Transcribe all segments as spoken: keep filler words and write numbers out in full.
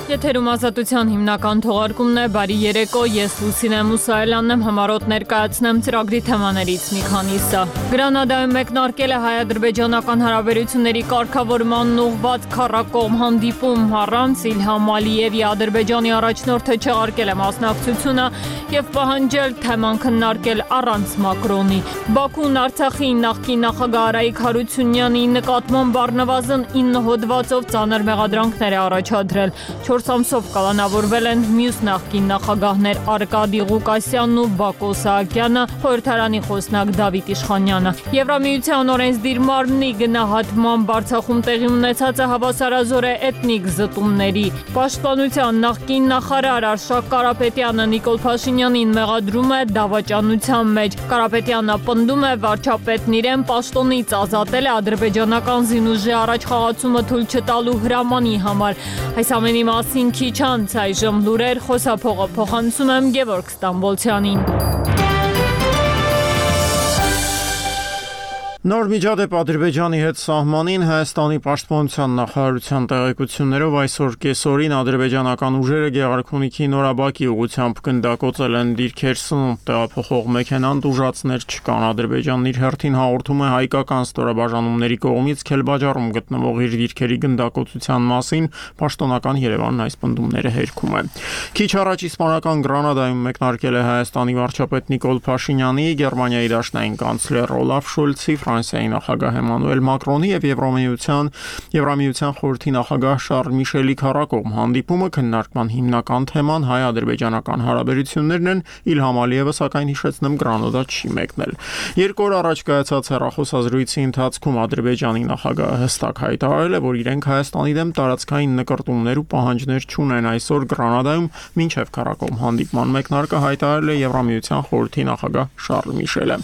Եթերում ազատության հիմնական թողարկումն է, բարի երեկո, ես Լուսինե Մուսայելյանն եմ, համառոտ ներկայացնեմ ծրագրի թեմաներից մի քանիսը։ Գրանադայում մեկնարկել է հայ-ադրբեջանական հարաբերությունների կարգավորմանն ուղղված քառակողմ հանդիպում, առանց Իլհամ Ալիևի Ադրբեջանի առաջնորդը չեղարկել է մասնակցությունը և պահանջել թեման քննարկել առանց Մակրոնի։ Բաքուն Արցախի նախկին նախագահ Արայիկ Հարությունյանի նկատմամբ առնվազն ինը հոդվածով ծանր մեղադրանքներ է առաջադրել։ Չորս ամսով կալանավորվել են մյուս նախկին նախագահներ Արկադի Ղուկասյանն ու Բակո Սահակյանը, խորհրդարանի խոսնակ Դավիթ Իշխանյանը։ Եվրամիության օրենսդիր մարմնի գնահատմամբ Արցախում տեղի ունեցած է հավասարազոր է էթնիկ զտումների։ Պաշտպանության նախկին նախարար Արշակ Կարապետյանը Նիկոլ Փաշինյանին մեղադրում է դավաճանության մեջ։ Կարապետյանը պնդում է վարչապետն իրեն պաշտոնից ազատել է ադրբեջանական զինուժի առաջխաղացումը թույլ չտալու հրամանի համար։ Այս ամենի մասին քիչ անց այժմ լուրեր, խոսափողը փոխանցում եմ Գևորգ Ստամբոլցյանին։ Նոր միջադեպ Ադրբեջանի հետ սահմանին Հայաստանի պաշտպանության նախարարության տեղեկություններով այսօր կեսօրին ադրբեջանական ուժերը Գեղարքունիքի Նորաբակի ուղղությամբ գնդակոծել են դիրքեր սնունդ տեղափոխող մեքենան, ուժացներ չկան։ Ադրբեջանն իր հերթին հաղորդում է հայկական ստորաբաժանումների կողմից Քելբաջարում գտնվող իր դիրքերի գնդակոծության մասին, պաշտոնական Երևանն այս պնդումները հերքում է։ Քիչ առաջ իսպանական Գրանադայում մեկնարկել է Հայաստանի վարչապետ Նիկոլ Փաշինյանի, Գերմանիայի դաշնային կանցլեր Օլաֆ Շոլցի, Ֆրանսիայի նախագահ Էմանուել Մակրոնի և Եվրամիության Եվրամիության խորհրդի նախագահ Շարլ Միշելի քառակողմ հանդիպումը քննարկման հիմնական թեման հայ-ադրբեջանական հարաբերություններն են։ Իլհամ Ալիևը սակայն հիշեցնեմ Գրանադա չի մեկնել։ Երկու օր առաջ կայացած հեռախոսազրույցի ընթացքում Ադրբեջանի նախագահը հստակ հայտարարել է, որ իրենք Հայաստանի դեմ տարածքային նկրտումներ ու պահանջներ չունեն։ Այսօր Գրանադայում մինչև քառակողմ հանդիպման մեկնարկը հայտարարել է Եվրամիության խորհրդի նախագահ Շարլ Միշելը։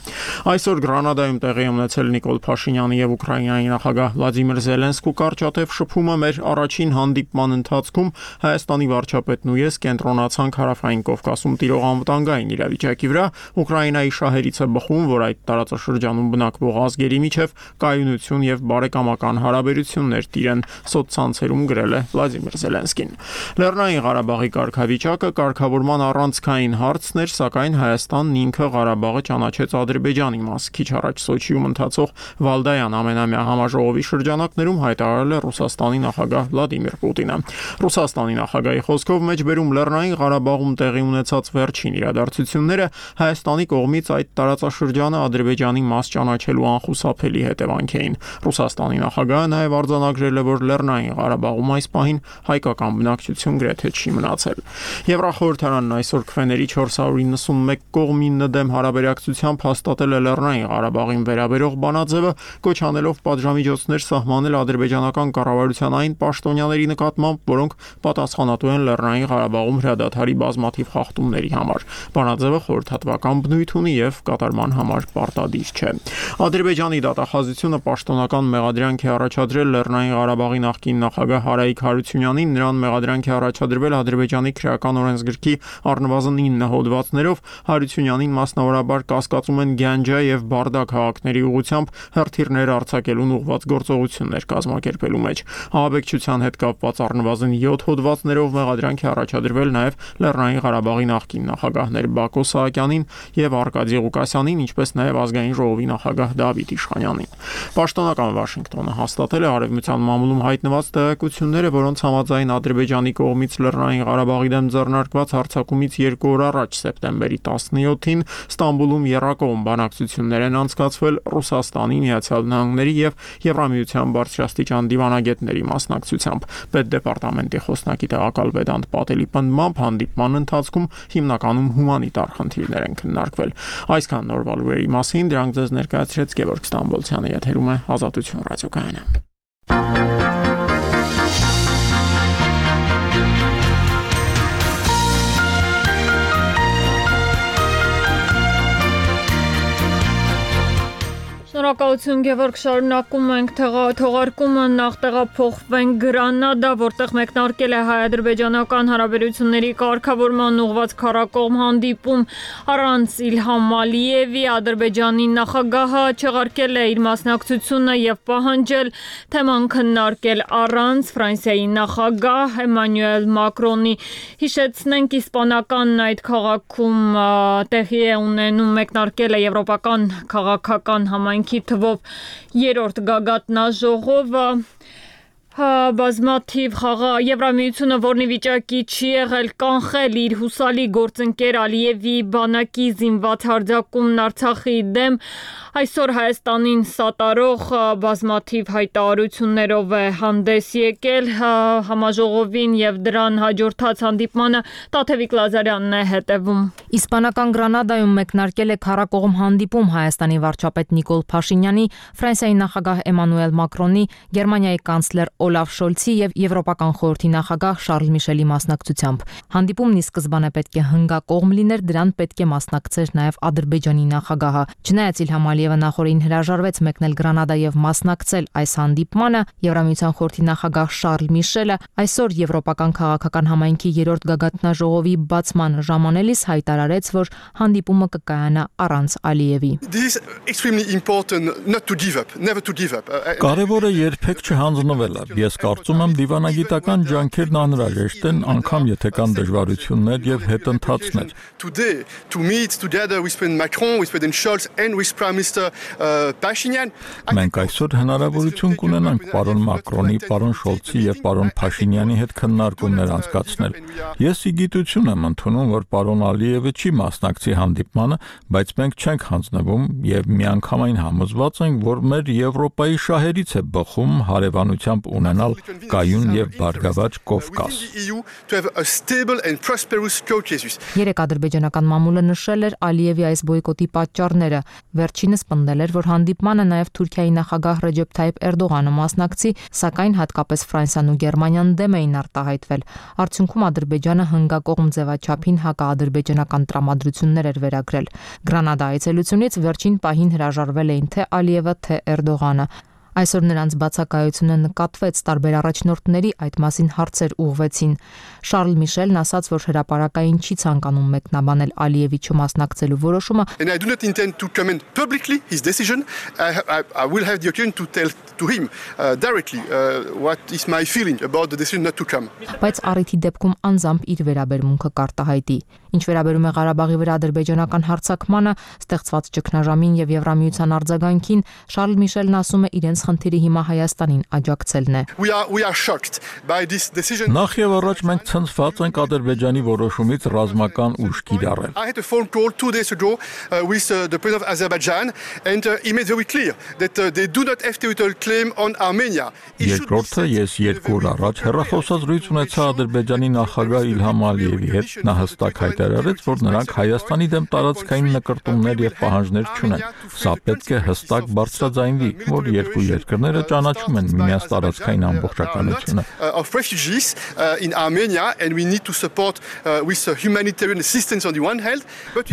Այսօր Գրանադայում տեղի ունեցել Նիկոլ Փաշինյանի և Ուկրաինայի նախագահ Վլադիմիր Զելենսկու կարճատև շփումը մեր առաջին հանդիպման ընթացքում Հայաստանի վարչապետն ու ես կենտրոնացանք Հարավային Կովկասում տիրող անվտանգային իրավիճակի վրա։ Ուկրաինայի շահերից է բխում, որ այդ տարածաշրջանում բնակվող ազգերի միջև կայունություն և բարեկամական հարաբերություններ տիրեն, սոցցանցերում գրել է Վլադիմիր Զելենսկին։ Լեռնային Ղարաբաղի կարգավիճակը կարգավորման առանցքային հարցն էր, սակայն Հայաստանն ինքը Ղարաբաղը ճանաչեց Ադրբեջանի մաս։ Քիչ առաջ Սոչիում ընթացող Վալդայան ամենամյա համաժողովի շրջանակներում հայտարարել է Ռուսաստանի նախագահ Վլադիմիր Պուտինը։ Ռուսաստանի նախագահի խոսքով մեջբերում Լեռնային Ղարաբաղում տեղի ունեցած վերջին իրադարձությունները Հայաստանի կողմից այդ տարածաշրջանը Ադրբեջանի մաս ճանաչելու անխուսափելի հետևանք էին։ Ռուսաստանի նախագահը նաև արձանագրել է, որ Լեռնային Ղարաբաղում այս պահին հայկական բնակչություն գրեթե չի մնացել։ Եվրախորհրդարանն այսօր քվեների չորս հարյուր իննսունմեկ կողմինը դեմ հարաբերակցությամբ հաստատել է Լեռնային Ղարաբաղին վերաբերող բանաձևը, կոչ անելով պատժամիջոցներ սահմանել ադրբեջանական կառավարության այն պաշտոնյաների նկատմամբ, որոնք պատասխանատու են Լեռնային Ղարաբաղում հրադադարի բազմաթիվ խախտումների համար։ Բանաձևը խորհրդատվական բնույթ ունի և կատարման համար պարտադիր չէ։ Ադրբեջանի դատախազությունը պաշտոնական մեղադրանք է առաջադրել Լեռնային Ղարաբաղի նախկին նախագահ Արայիկ Հարությունյանին, նրան մեղադրանք է առաջադրվել Ադրբեջանի քրեական օրենսգրքի առնվազն ինը հոդվածներով։ Հարությունյանին մասնավորաբար կասկածում են Գյանջա և Բարդա քաղաքների ուղղությամբ հրթիռներ արձակելուն ուղղված գործողություններ կազմակերպելու մեջ։ Ահաբեկչության հետ կապված առնվազն յոթ հոդվածներով մեղադրանք է առաջադրվել նաև Լեռնային Ղարաբաղի նախկին նախագահներ Բակո Սահակյանին և Արկադի Ղուկասյանին, ինչպես նաև Ազգային ժողովի նախագահ Դավիթ Իշխանյանին։ Պաշտոնական Վաշինգտոնը հաստատել է Արևմտյան մամուլում հայտնված տեղեկությունները, որոնց համաձայն Ադրբեջանի կողմից Լեռնային Ղարաբաղի դեմ ձեռնարկված հարձակումից երկու օր առաջ սեպտեմբերի տասնյոթին Ստամբուլում եռակողմ բանակցություններ են անցկացվել Ռուսաստանի, Միացյալ Նահանգների և Եվրամիության բարձրաստիճան դիվանագետների մասնակցությամբ։ Պետդեպարտամենտի խոսնակի տեղակալ Վեդանտ Պատելի պնդմամբ հանդիպման ընթացքում հիմնականում հումանիտար խնդիրներ են քննարկվել։ Այսքան նորվա լուրերի մասին դրանք ձեզ ներկայացրեց Գևորգ Ստամբոլցյանը, եթերում է Ազատություն ռադիոկայանը։ Շնորհակալություն Գևորգ, շարունակում ենք թողարկումը, նախ տեղափոխվենք Գրանադա, որտեղ մեկնարկել է հայ-ադրբեջանական հարաբերությունների կարգավորման ուղղված քառակողմ հանդիպում առանց Իլհամ Ալիևի։ Ադրբեջանի նախագահը չեղարկել է իր մասնակցությունը եւ պահանջել թեման քննարկել առանց Ֆրանսիայի նախագահ Էմանուել Մակրոնի։ Հիշեցնենք, իսպանական այդ քաղաքում տեղի է ունենում մեկնարկել է եվրոպական քաղաքական համայնքի թվով երրորդ գագաթնաժողովը, բազմաթիվ խաղաղ Եվրամիությունը, որն ի վիճակի չի եղել կանխել իր հուսալի գործընկեր Ալիևի բանակի զինված հարձակումն Արցախի դեմ, այսօր Հայաստանին սատարող բազմաթիվ հայտարարություններով է հանդես եկել համաժողովին եւ դրան հաջորդած հանդիպմանը Տաթևիկ Լազարյանն է հետևում։ Իսպանական Գրանադայում մեկնարկել է քառակողմ հանդիպում Հայաստանի վարչապետ Նիկոլ Փաշինյանի, Ֆրանսիայի նախագահ Էմանուել Մակրոնի, Գերմանիայի կանցլեր Օլաֆ Շոլցի եւ Եվրոպական խորհրդի նախագահ Շարլ Միշելի մասնակցությամբ։ Հանդիպումն ի սկզբանե պետք է հնգակողմ լիներ, դրան պետք է մասնակցեր նաեւ Ադրբեջանի նախագահը։ Չնայած Իլհամ Ալիևը նախորդին հրաժարվեց մեկնել Գրանադա եւ մասնակցել այս հանդիպմանը, Եվրամիության խորհրդի նախագահ Շարլ Միշելը այսօր Եվրոպական քաղաքական համայնքի երրորդ գագաթնաժողովի բացման ժամանելիս հայտարարեց, որ հանդիպումը կկայանա առանց Ալիևի։ Կարևորը երբեք չհանձնվելը։ Ես կարծում եմ դիվանագիտական ջանքերն անհրաժեշտ են, անգամ եթե կան դժվարություններ եւ հետընթացներ։ Մենք այսօր հնարավորություն կունենանք պարոն Մակրոնի, պարոն Շոլցի եւ պարոն Փաշինյանի հետ քննարկումներ անցկացնել։ Ես ի գիտություն եմ ընդունում, որ պարոն Ալիևը չի մասնակցի հանդիպմանը, բայց մենք չենք հանձնվում եւ միանգամայն համոզված ենք, որ մեր Եվրոպայի շահերից է բխում հարևանությամբ ունենալ կայուն եւ բարգավաճ Կովկաս։ Երեք ադրբեջանական մամուլը նշել էր Ալիևի այս բոյկոտի պատճառները։ Վերջինս պնդել էր, որ հանդիպմանը նաեւ Թուրքիայի նախագահ Ռեջեփ Թայիփ Էրդողանը մասնակցի, սակայն հատկապես Ֆրանսիան ու Գերմանիան դեմ էին արտահայտվել։ Արդյունքում Ադրբեջանը հնգակողմ ձևաչափին հակաադրբեջանական տրամադրություններ էր վերագրել։ Գրանադա այցելությունից վերջին պահին հրաժարվել էին թե Ալիևը, թե Էրդողանը։ Այսօր նրանց բացակայությունը նկատվեց, տարբեր առաջնորդների այդ մասին հարցեր ուղղվեցին։ Շարլ Միշելն ասաց, որ հրապարակային չի ցանկանում մեկնաբանել Ալիևի չմասնակցելու որոշումը։ Բայց առիթի դեպքում անձամբ իր վերաբերմունքը կարտահայտի։ Ինչ վերաբերում է Ղարաբաղի վրա ադրբեջանական հարձակմանը, ստեղծված ճգնաժամին եւ Եվրամիության արձագանքին, Շարլ Միշելն ասում է իրենց խնդիրը հիմա Հայաստանին աջակցելն է։ Նախ եւ առաջ մենք ցնցված ենք Ադրբեջանի որոշումից ռազմական ուժ կիրառել։ Երկրորդը, ես երկու օր առաջ հեռախոսազրույց ունեցա Ադրբեջանի նախագահ Իլհամ Ալիևի հետ, նա հստակ հայտարարեց, որ նրանք Հայաստանի դեմ տարածքային նկրտումներ եւ պահանջներ չունեն։ Սա պետք է հստակ բարձրաձայնվի, որ երկու երկրները ճանաչում են միմյանց տարածքային ամբողջականությունը։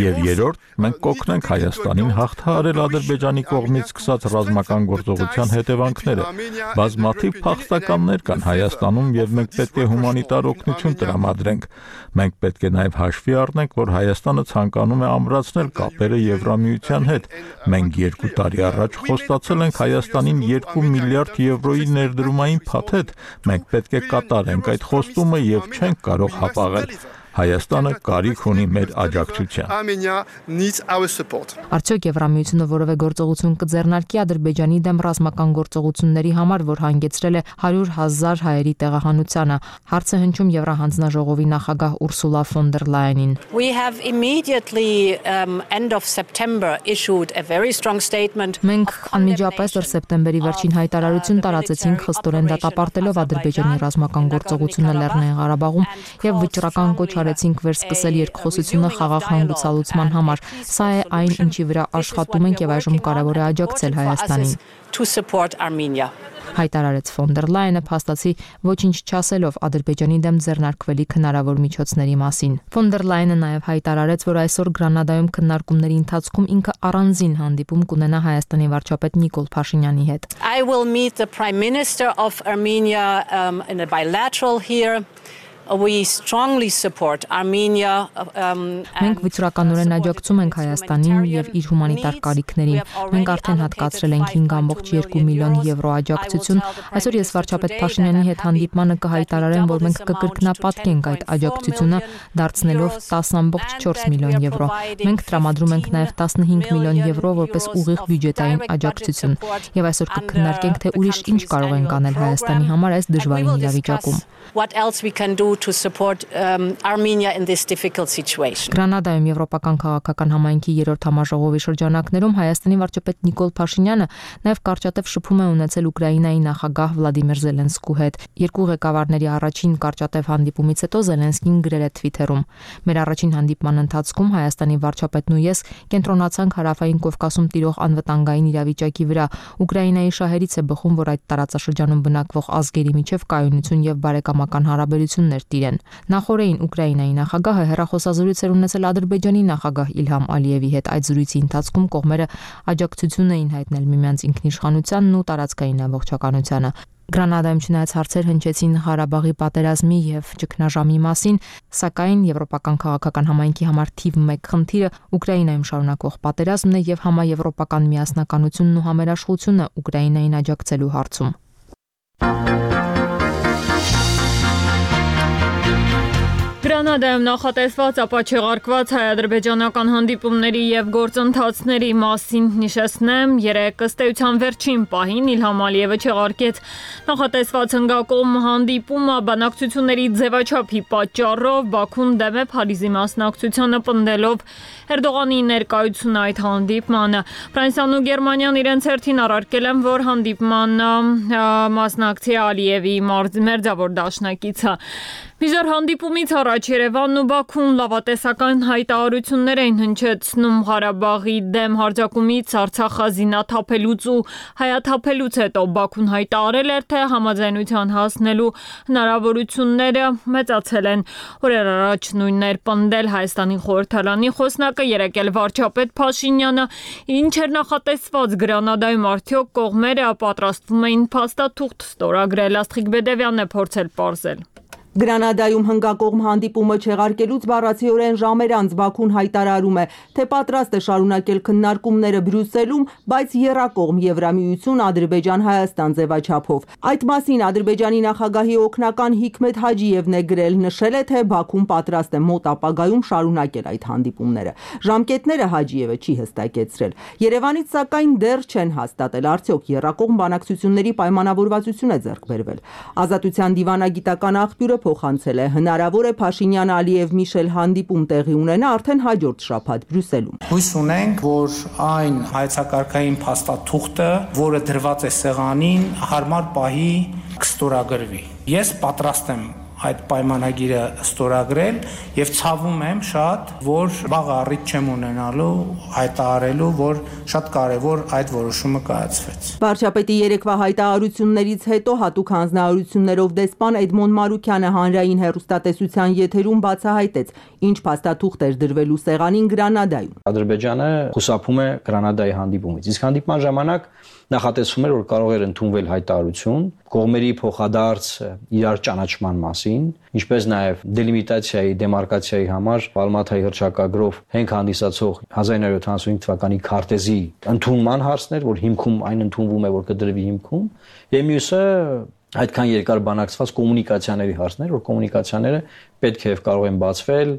Եվ երրորդ, մենք կօգնենք Հայաստանին հաղթահարել Ադրբեջանի կողմից սկսած ռազմական գործողության հետևանքները։ Բազմաթիվ փախստականներ կան Հայաստանում եւ մենք պետք է հումանիտար օգնություն տրամադրենք։ Մենք պետք է նաեւ հաշվի առնենք, որ Հայաստանը ցանկանում է ամրացնել կապերը Եվրամիության հետ։ Մենք երկու տարի առաջ խոստացել ենք Հայաստանին երկու միլիարդ եվրոյի ներդրումային փաթեթ։ Մենք պետք է կատարենք այդ խոստումը եւ չենք կարող հապաղել։ Հայաստանը կարիք ունի մեր աջակցության։ Արդյոք Եվրամիությունը որևէ գործողություն կձեռնարկի Ադրբեջանի դեմ ռազմական գործողությունների համար, որ հանգեցրել է հարյուր հազար հայերի տեղահանությանը։ Հարցը հնչում Եվրահանձնաժողովի նախագահ Ուրսուլա ֆոն դեր Լայենին։ Մենք անմիջապես դեռ սեպտեմբերի վերջին հայտարարություն տարածեցինք, խստորեն դատապարտելով Ադրբեջանի ռազմական գործողությունը Լեռնային Ղարաբաղում եւ վճռական կոչ միջոցառեցինք վերսկսել երկխոսությունը խաղաղ հանգուցալուծման համար։ Սա է այն, ինչի վրա աշխատում ենք եւ այժմ կարեւոր է աջակցել Հայաստանին։ Հայտարարեց ֆոն դեր Լայենը, փաստացի ոչինչ չասելով Ադրբեջանի դեմ ձեռնարկվելիք հնարավոր միջոցների մասին։ Ֆոն դեր Լայենը նաև հայտարարեց, որ այսօր Գրանադայում քննարկումների ընթացքում ինքը առանձին հանդիպում կունենա Հայաստանի վարչապետ Նիկոլ Փաշինյանի հետ։ I will meet the Prime Minister of Armenia um, in a bilateral here. We strongly support Armenia. Մենք վճռականորեն աջակցում ենք Հայաստանին եւ իր հումանիտար կարիքներին։ Մենք արդեն հատկացրել ենք հինգ կόμma երկու միլիոն եվրո աջակցություն։ Այսօր ես վարչապետ Փաշինյանի հետ հանդիպմանը կհայտարարեմ, որ մենք կկրկնապատկենք այդ աջակցությունը, դարձնելով տասը կόμma չորս միլիոն եվրո։ Մենք տրամադրում ենք նաեւ տասնհինգ միլիոն եվրո որպես ուղիղ բյուջետային աջակցություն։ Եվ այսօր կքննարկենք, թե ուրիշ ինչ կարող ենք անել Հայաստանի համար այս դժվարին իրավիճակում։ What else we can do to support um, Armenia in this difficult situation. Գրանադայում Եվրոպական քաղաքական համայնքի երրորդ համաժողովի շրջանակներում Հայաստանի վարչապետ Նիկոլ Փաշինյանը նաև կարճատև շփում է ունեցել Ուկրաինայի նախագահ Վլադիմիր Զելենսկու հետ։ Երկու ղեկավարների առաջին կարճատև հանդիպումից հետո Զելենսկին գրել է Twitter-ում. Մեր առաջին հանդիպման ընթացքում Հայաստանի վարչապետն ու ես կենտրոնացանք Հարավային Կովկասում տիրող անվտանգային իրավիճակի վրա։ Ուկրաինայի շահերից է բխում, որ այդ տարածաշրջանում բնակվող ազգերի միջև կայունություն եւ բարեկամական հարաբերություններ տիրեն։ Նախորդին Ուկրաինայի նախագահը հեռախոսազրույց էր ունեցել Ադրբեջանի նախագահ Իլհամ Ալիևի հետ։ Այդ զրույցի ընթացքում կողմերը աջակցություն էին հայտնել միմյանց ինքնիշխանությանն ու տարածքային ամբողջականությանը։ Գրանադայում չնայած հարցեր հնչեցին Ղարաբաղի պատերազմի եւ ճգնաժամի մասին, սակայն Եվրոպական քաղաքական համայնքի համար թիվ մեկ խնդիրը Ուկրաինայում շարունակվող պատերազմն է եւ համաեվրոպական միասնականությունն ու համերաշխությունը Ուկրաինային աջակցելու հարցում։ Գրանադայում նախատեսված ապաչեղարկված հայ-ադրբեջանական հանդիպումների եւ գործընթացների մասին նշեցնեմ, երեկ ըստ էության վերջին պահին Իլհամ Ալիևը չեղարկեց նախատեսված հնգակողմ հանդիպումը բանակցությունների ձևաչափի պատճառով Բաքուն դեմ է Փարիզի մասնակցությանը պնդելով Էրդողանի ներկայությունը այդ հանդիպմանը։ Ֆրանսիան ու Գերմանիան իրենց հերթին առարկել են, որ հանդիպմանը մասնակցի Ալիևի մերձավոր դաշնակիցը։ Միջեր հանդիպումից առաջ Երևանն ու Բաքուն լավատեսական հայտարարություններ էին հնչեցնում Ղարաբաղի դեմ հարձակումից Արցախը զինաթափելուց ու հայաթափելուց հետո Բաքուն հայտարարել էր, թե համաձայնության հասնելու հնարավորությունները մեծացել են։ Օրեր առաջ նույնն էր պնդել Հայաստանի խորհրդարանի խոսնակը, երեկ էլ վարչապետ Փաշինյանը, ինչ էր նախատեսված Գրանադայում, արդյոք կողմերը պատրաստվում էին փաստաթուղթ ստորագրել։ Աստղիկ Բեդևյանն է փորձել պարզել։ Գրանադայում հնգակողմ հանդիպումը չեղարկելուց բառացիորեն ժամեր անց Բաքուն հայտարարում է, թե պատրաստ է շարունակել քննարկումները Բրյուսելում, բայց եռակողմ Եվրամիություն Ադրբեջան-Հայաստան ձևաչափով։ Այդ մասին Ադրբեջանի նախագահի օգնական Հիկմետ Հաջիևն է գրել, նշել է, թե Բաքուն պատրաստ է մոտ ապագայում շարունակել այդ հանդիպումները։ Ժամկետները Հաջիևը չի հստակեցրել։ Երևանից սակայն դեռ չեն հաստատել, արդյոք եռակողմ բանակցությունների պայմանավորվածություն է ձեռք բերվել։ Ազատության դիվանագիտական աղբյուրը փոխանցել է, հնարավոր է Փաշինյան-Ալիև Միշել հանդիպում տեղի ունենա արդեն հաջորդ շաբաթ Բրյուսելում։ Հույս ունենք, որ այն հայեցակարգային փաստաթուղթը, որը դրված է սեղանին, հարմար պահի կստորագրվի։ Ես պատրաստ եմ այդ պայմանագիրը ստորագրել եւ ցավում եմ շատ, որ վաղ առիթ չեմ ունենալու հայտարարելու, որ շատ կարեւոր այդ որոշումը կայացվեց։ Վարչապետի երեկվա հայտարարություններից հետո հատուկ հանձնարարություններով դեսպան Էդմոն Մարուկյանը հանրային հեռուստատեսության եթերում բացահայտեց, ինչ փաստաթուղթ էր դրվելու սեղանին Գրանադայում։ Ադրբեջանը խուսափում է Գրանադայի հանդիպումից, իսկ հանդիպման ժամանակ նախատեսվում էր, որ կարող էր ընդունվել հայտարարություն կողմերի փոխադարձ իրար ճանաչման մասին, ինչպես նաև դելիմիտացիայի, դեմարկացիայի համար Ալմաթայի հռչակագրով հենք հանդիսացող հազար նույնսուն ութանասունհինգ թվականի քարտեզի ընդունման հարցներ, որ հիմքում այն ընդունվում է, որ կդրվի հիմքում, եւ մյուսը այդքան երկար բանակցված կոմունիկացիաների հարցներ, որ կոմունիկացիաները պետք է եւ կարող են բացվել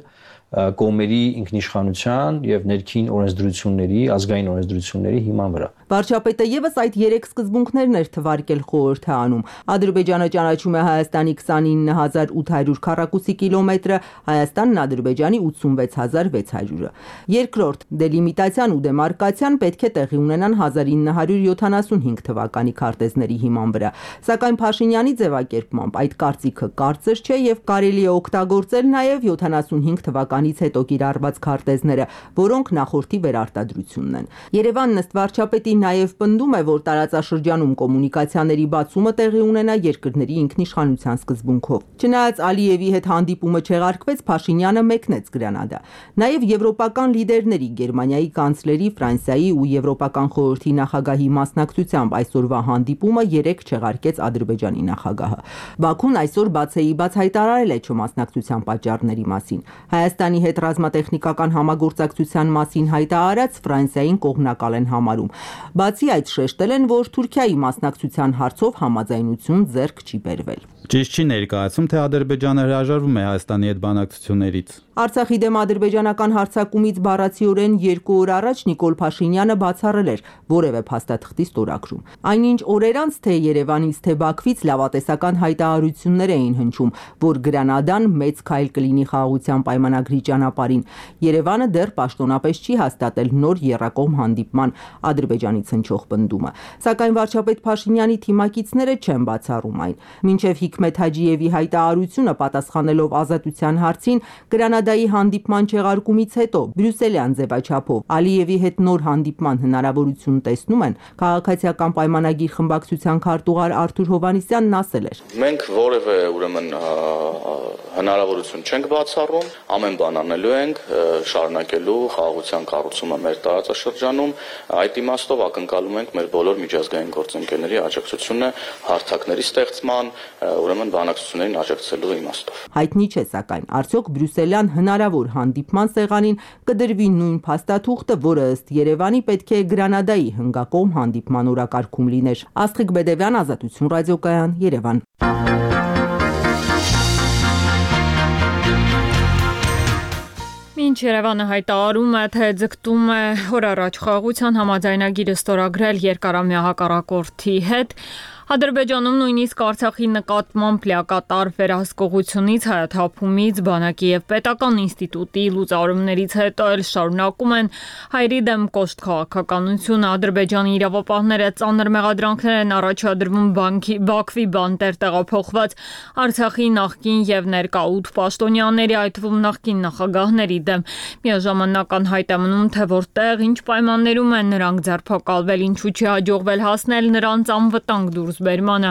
կողմերի ինքնիշխանության եւ ներքին օրենսդրությունների, ազգային օրենսդրությունների հիման վրա։ Վարչապետը եւս այդ երեք սկզբունքներն էր թվարկել խորհրդանում։ Ադրբեջանը ճանաչում է Հայաստանի քսանինը հազար ութ հարյուր քառակուսի կիլոմետրը, Հայաստանն Ադրբեջանի ութսունվեց հազար վեց հարյուրը։ Երկրորդ դելիմիտացիան ու դեմարկացիան պետք է տեղի ունենան հազար ինը հարյուր յոթանասունհինգ թվականի քարտեզների հիման վրա։ Սակայն Փաշինյանի ձևակերպմամբ այդ կարծիքը կարծր չէ եւ կարելի է օգտագործել նաեւ յոթանասունհինգ թվականից հետո կիրառված քարտեզները, որոնք նախորդի վերարտադրությունն են։ Երևանն ըստ վարչապետի նաև պնդում է, որ տարածաշրջանում կոմունիկացիաների բացումը տեղի ունենա երկրների ինքնիշխանության սկզբունքով։ Չնայած Ալիևի հետ հանդիպումը չեղարկվեց, Փաշինյանը մեկնեց Գրանադա։ Նաև եվրոպական լիդերների, Գերմանիայի կանցլերի, Ֆրանսիայի ու Եվրոպական խորհրդի նախագահի մասնակցությամբ այսօրվա հանդիպումը երեք չեղարկեց Ադրբեջանի նախագահը։ Բաքուն այսօր բացեի բաց հայտարարել է չմասնակցության պատճառների մասին։ Հայաստանի հետ ռազմատեխնիկական համագործակցության մասին հայտարարած Ֆրանսիային կողմնակալ են համարում։ Բացի այդ շեշտել են, որ Թուրքիայի մասնակցության հարցով համաձայնություն ձեռք չի բերվել։ Ճիշտ չի ներկայացում, թե Ադրբեջանը հրաժարվում է Հայաստանի հետ բանակցություններից։ Արցախի դեմ ադրբեջանական հարձակումից բառացիորեն երկու օր առաջ Նիկոլ Փաշինյանը բացառել էր որևէ փաստաթղթի ստորագրում։ Այնինչ օրեր անց թե Երևանից, թե Բաքվից լավատեսական հայտարարություններ էին հնչում, որ Գրանադան մեծ քայլ կլինի խաղաղության պայմանագրի ճանապարհին։ Երևանը դեռ պաշտոնապես չի հաստատել նոր եռակողմ հանդիպման Ադրբեջանից հնչող պնդումը։ Սակայն վարչապետ Փաշինյանի թիմակիցները չեն բացառում այն։ Մինչև Հիկմետ Հաջիևի հայտարարությունը պատասխանելով ազատության հարցին Գրանադայի հանդիպման չեղարկումից հետո բրյուսելյան ձևաչափով Ալիևի հետ նոր հանդիպման հնարավորություն տեսնում են, քաղաքացիական պայմանագիր խմբակցության քարտուղար Արթուր Հովհաննիսյանն ասել էր. Մենք որևէ ուրեմն հնարավորություն չենք բացառում, ամեն բան անելու ենք, շարունակելու խաղաղության կառուցումը մեր տարածաշրջանում, այդ իմաստով ակնկալում ենք մեր բոլոր միջազգային գործընկերների աջակցությունը հարթակների ստեղծման, ուրեմն բանակցություններին աջակցելու իմաստով։ Հայտնի չէ, սակայն արդյոք բրյուսելյան հնարավոր հանդիպման սեղանին կդրվի նույն փաստաթուղթը, որը ըստ Երևանի պետք է Գրանադայի հնգակողմ հանդիպման օրակարգում լիներ։ Աստղիկ Բեդևյան, Ազատություն ռադիոկայան, Երևան։ Մինչ Երևանը հայտարարում է, թե ձգտում է օր առաջ խաղաղության համաձայնագիրը ստորագրել երկարամյա հակառակորդի հետ, Ադրբեջանում նույնիսկ Արցախի նկատմամբ լիակատար վերահսկողությունից, հայաթափումից, բանակի եւ պետական ինստիտուտի լուծարումներից հետո էլ շարունակում են հայերի դեմ կոշտ քաղաքականությունը։ Ադրբեջանի իրավապահները ծանր մեղադրանքներ են առաջադրվում բանկի Բաքվի բանտեր տեղափոխված Արցախի նախկին եւ ներկա ութ պաշտոնյաների, այդ թվում նախկին նախագահների դեմ։ Միաժամանակ անհայտ է մնում, թե որտեղ, ինչ պայմաններում են նրանք ձերբակալվել, ինչու չի հաջողվել հասնել նրանց անվտանգ դուրս բերմանը։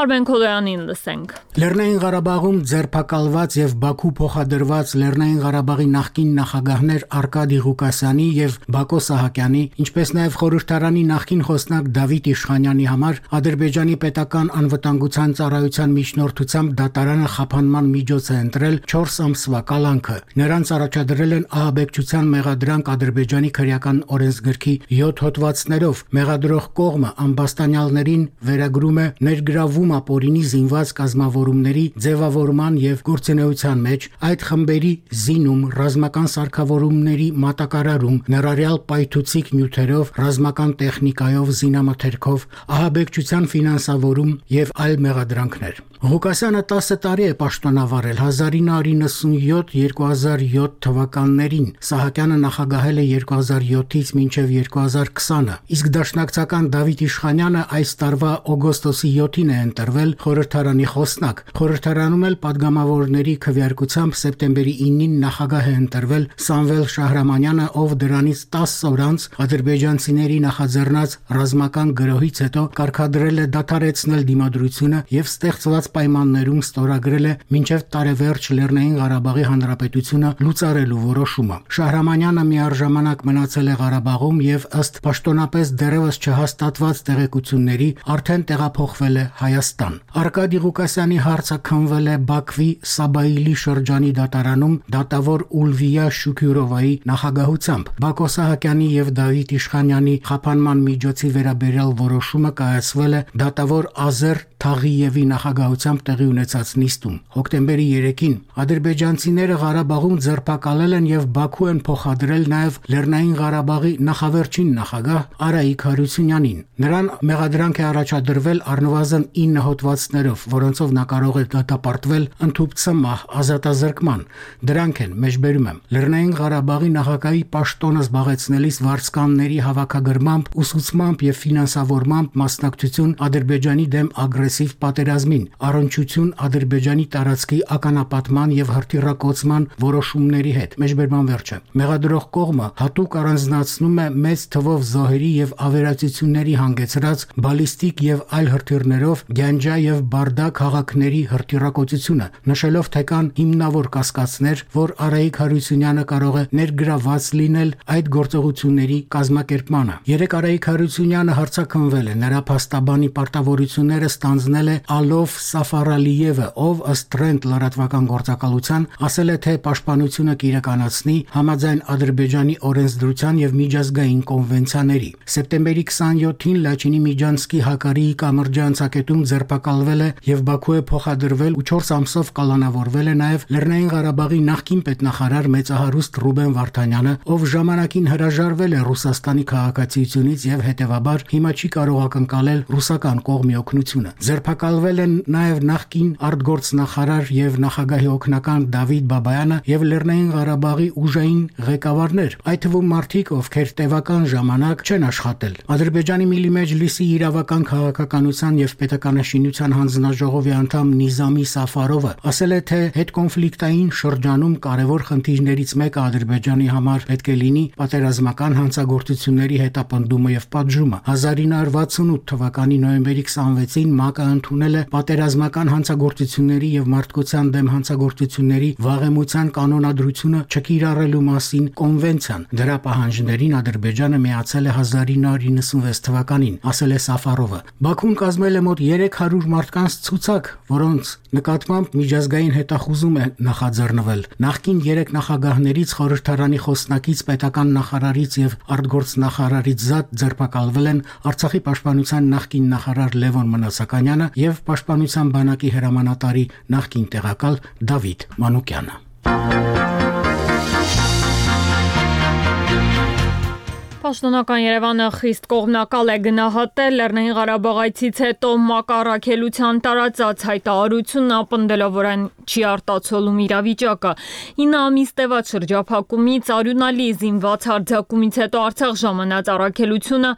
Արմեն Քոլոյանին լսենք։ Լեռնային Ղարաբաղում ձերբակալված եւ Բաքու փոխադրված Լեռնային Ղարաբաղի նախկին նախագահներ Արկադի Ղուկասյանի եւ Բակո Սահակյանի, ինչպես նաեւ խորհրդարանի նախկին խոսնակ Դավիթ Իշխանյանի համար Ադրբեջանի պետական անվտանգության ծառայության միջնորդությամբ դատարանը խափանման միջոց է ընտրել չորս ամսվա կալանքը։ Նրանց առաջադրել են ահաբեկչության մեղադրանք Ադրբեջանի քրեական օրենսգրքի յոթ հոդվածներով։ Մեղադրող կողմը ամբաստանյալներին վերագրում է ներգրավում ապօրինի զինված կազմավորումների ձևավորման եւ գործունեության մեջ, այդ խմբերի զինում, ռազմական սարքավորումների մատակարարում, ներառյալ պայթուցիկ նյութերով, ռազմական տեխնիկայով, զինամթերքով, ահաբեկչության ֆինանսավորում եւ այլ մեղադրանքներ։ Ղուկասյանը տասը տարի է պաշտոնավարել հազար ինը հարյուր նվսանյոթ երկու հազար յոթ թվականներին, Սահակյանը նախագահել է երկու հազար յոթից մինչև երկու հազար քսանը, իսկ դաշնակցական Դավիթ Իշխանյանը այս տարվա օգոստոսի յոթին է ընտրվել խորհրդարանի խոսնակ։ Խորհրդարանում էլ падգամավորների քվեարկությամբ սեպտեմբերի ինին նախագահ է ընտրվել Սամվել Շահրամանյանը, ով դրանից տասը օր անց ադրբեջանցիների նախաձեռնած ռազմական գրոհից հետո կարգադրել է դադարեցնել դիմադրությունը եւ ստեղծված պայմաններում ստորագրել է մինչև տարեվերջ Լեռնային Ղարաբաղի Հանրապետությունը լուծարելու որոշումը։ Շահրամանյանը միառժամանակ մնացել է Ղարաբաղում եւ ըստ պաշտոնապես դեռևս չհաստատված տեղեկությունների արդեն տեղափոխվել է Հայաստան։ Արկադի Ղուկասյանի հարցը քննվել է Բաքվի Սաբայիլի շրջանի դատարանում դատավոր Ուլվիա Շուքյուրովայի նախագահությամբ։ Բակո Սահակյանի եւ Դավիթ Իշխանյանի խափանման միջոցի վերաբերյալ որոշումը կայացվել է դատավոր Ազեր Թաղիևի նախագահությամբ տեղի ունեցած նիստում։ Հոկտեմբերի երեքին ադրբեջանցիները Ղարաբաղում ձերբակալել են եւ Բաքու են փոխադրել նաեւ Լեռնային Ղարաբաղի նախավերջին նախագահ Արայիկ Հարությունյանին։ Նրան մեղադրանք է առաջադրվել առնվազն ինը հոդվածներով, որոնցով նա կարող է դատապարտվել ընդհուպ մահ ազատազրկման։ Դրանք են, մեջբերում եմ, Լեռնային Ղարաբաղի նախագահի պաշտոնը զբաղեցնելիս վարձկանների հավաքագրմամբ, ուսուցմամբ եւ ֆինանսավորմամբ մասնակցություն Ադրբեջանի դեմ ագրեսիվ պատերազմին, առնչություն Ադրբեջանի տարածքի ականապատման եւ հրթիռակոծման որոշումների հետ։ Մեջբերման վերջը։ Մեղադրող կողմը հատուկ առանձնացնում է մեծ թվով զոհերի եւ ավերածությունների հանգեցրած բալիստիկ եւ այլ հրթիռներով Գյանջա եւ Բարդա քաղաքների հրթիռակոծությունը, նշելով թե կան հիմնավոր կասկածներ, որ Արայիկ Հարությունյանը կարող է ներգրավված լինել այդ գործողությունների կազմակերպմանը։ Երեք Արայիկ Հարությունյանը հարցաքննվել է, նրա փաստաբանի պարտավորությունները ստանձնել է Ալով Սաֆարալիևը, ով ըստ Trend լրատվական գործակալության ասել է, թե պաշտպանությունը կիրականացնի համաձայն Ադրբեջանի օրենսդրության եւ միջազգային կոնվենցիաների։ Սեպտեմբերի քսանյոթին Լաչինի Միջանցկի Հակարիի կամրջանցակետում ձերբակալվել է եւ Բաքու է փոխադրվել ու չորս ամսով կալանավորվել է նաեւ Լեռնային Ղարաբաղի նախկին պետնախարար մեծահարուստ Ռուբեն Վարդանյանը, ով ժամանակին հրաժարվել է Ռուսաստանի քաղաքացիությունից եւ հետեւաբար հիմա չի կարող ակնկալել ռուսական կողմի օգնությունը։ Ձերբակալվել են նաեւ նախկին արտգործնախարար եւ նախագահի օգնական Դավիթ Բաբայանը եւ Լեռնային Ղարաբաղի ուժային ղեկավարներ, այդ թվում մարդիկ, ովքեր տևական ժամանակ չեն աշխատել։ Ադրբեջանի Միլի Մեջլիսի իրավական քաղաքականության եւ պետականաշինության հանձնաժողովի անդամ Նիզամի Սաֆարովը ասել է, թե հետկոնֆլիկտային շրջանում կարևոր խնդիրներից մեկը Ադրբեջանի համար պետք է լինի պատերազմական հանցագործությունների հետապնդումը եւ պատժումը։ հազար ինը հարյուր վաթսունութ թվականի նոյեմբերի քսանվեցին ՄԱԿ-ը ընդունել է պատերազմական հանցագործությունների եւ մարդկության դեմ հանցագործությունների վաղեմության կանոնադրությունը չկիրառելու մասին կոնվենցիան։ Դրա պահանջներին Ադրբեջանը միացել է հազար ինը հարյուր իննսունվեց թվականին, ասել է Սաֆարովը։ Բաքուն կազմել է մոտ երեք հարյուր մարդկանց ցուցակ, որոնց նկատմամբ միջազգային հետախուզում է նախաձեռնվել։ Նախկին երեք նախագահներից, խորհրդարանի խոսնակից, պետական նախարարից եւ արտգործնախարարից զատ ձերբակալվել են Արցախի պաշտպանության նախկին նախարար Լևոն Մնացականյանը եւ պաշտպանության բանակի հրամանատարի նախկին տեղակալ Դավիթ Մանուկյանը։ Պաշտոնական Երևանը խիստ կողմնակալ է գնահատել Լեռնային Ղարաբաղայցից հետո ՄԱԿ առաքելության տարածած հայտարարությունն, ապնդելով, որ այն չի արտացոլում իրավիճակը։ ինը ամիս տևած շրջափակումից, արյունալի զինված հարձակումից հետո Արցախ ժամանած առաքելությունը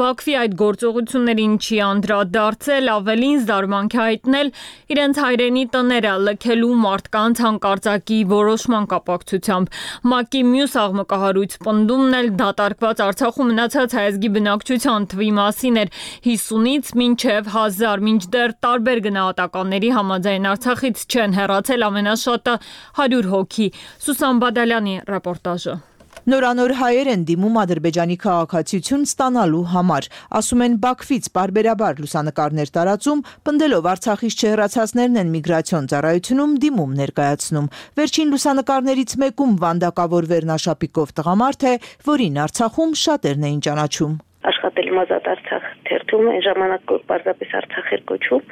Բաքվի այդ գործողություններին չի անդրադարձել, ավելին զարմանք է հայտնել իրենց հայրենի տները լքելու մարդկանց հանկարծակի որոշման կապակցությամբ։ ՄԱԿ-ի մյուս աղմկահարույց պնդումն էլ դատարկված Արցախում մնացած հայազգի բնակչության թվի մասին էր հիսունից մինչև հազար, մինչդեռ տարբեր գնահատականների համաձայն Արցախից չեն հեռացել ամենաշատը հարյուր հոգի։ Սուսան Բադալյանի ռեպորտաժը։ Նորանոր հայեր են դիմում Ադրբեջանի քաղաքացիություն ստանալու համար, ասում են Բաքվից պարբերաբար լուսանկարներ տարածում, պնդելով Արցախից չհեռացածներն են միգրացիոն ծառայությունում դիմում ներկայացնում։ Վերջին լուսանկարներից մեկում վանդակավոր վերնաշապիկով տղամարդ է, որին Արցախում շատերն էին ճանաչում։ Աշխատել եմ Ազատ Արցախ թերթում, այն ժամանակ պարզապես Արցախ էր կոչվում։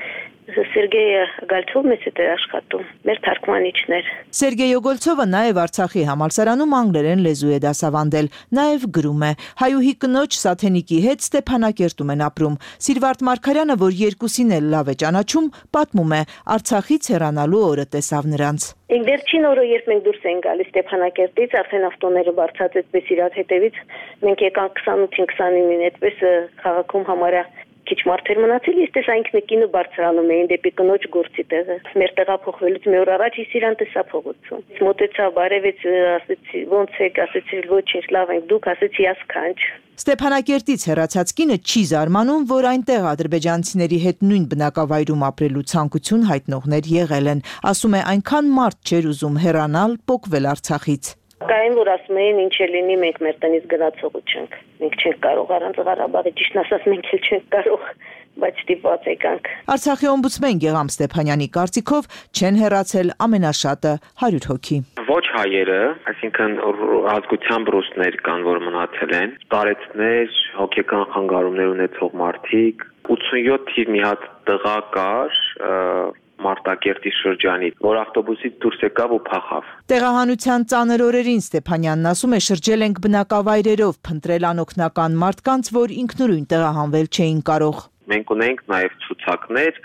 Սերգեյ Գալցովն է աշխատում, մեր թարգմանիչն էր։ Սերգեյ Գոլցովը նաև Արցախի համալսարանում անգլերեն լեզու է դասավանդել, նաև գրում է։ Հայուհի կնոջ Սաթենիկի հետ Ստեփանակերտում են ապրում։ Սիրվարդ Մարգարյանը, որ երկուսին էլ լավ է ճանաչում, պատմում է, Արցախից հեռանալու օրը տեսավ նրանց։ Վերջին օրը, երբ մենք դուրս ենք գալիս Ստեփանակերտից, արդեն ավտոները բարձած այդպես իրար հետևից, մենք եկանք քսանութին քսանինին, այդպես քաղաքում համարյա քիչ մարդեր մնացել, ես տեսա ինքնակինը բարձրանում էին դեպի կնոջ գործի տեղը։ Մեր տեղափոխվելուց մի օր առաջ ես իրան տեսա փողոցում։ Մոտեցա, բարևեց, ասեցի, ո՞նց եք, ասեցի, ոչինչ, լավ ենք, դուք, ասեցի, ասքանչ։ Ստեփանակերտից հեռացած կինը չի զարմանում, որ այնտեղ ադրբեջանցիների հետ նույն բնակավայրում ապրելու ցանկություն հայտնողներ եղել են։ Ասում է, այնքան մարդ չէր ուզում հեռանալ, պոկվել Արցախից։ Բակային, որ ասում էին ինչ է լինի, մենք մեր տնից գնացողու չենք։ Մենք չենք կարող առանց Ղարաբաղի, ճիշտն ասած մենք էլ չենք կարող, բայց ստիպված եկանք։ Արցախի օմբուդսմեն Գեգամ Ստեփանյանի կարծիքով չեն հեռացել ամենաշատը հարյուր հոգի։ Ոչ հայերը, այսինքն ազգությամբ ռուսներ կան, որ մնացել են, տարեցներ, հոգեկան խանգարումներ ունեցող մարդիկ, ութսունյոթ թիվ մի հատ տղա կար, Մարտակերտի շրջանից, որ ավտոբուսից դուրս եկավ ու փախավ։ Տեղահանության ծանր օրերին Ստեփանյանն ասում է շրջել ենք բնակավայրերով, փնտրել անօգնական մարդկանց, որ ինքնուրույն տեղահանվել չէին կարող։ Մենք ունենք նաև ցուցակներ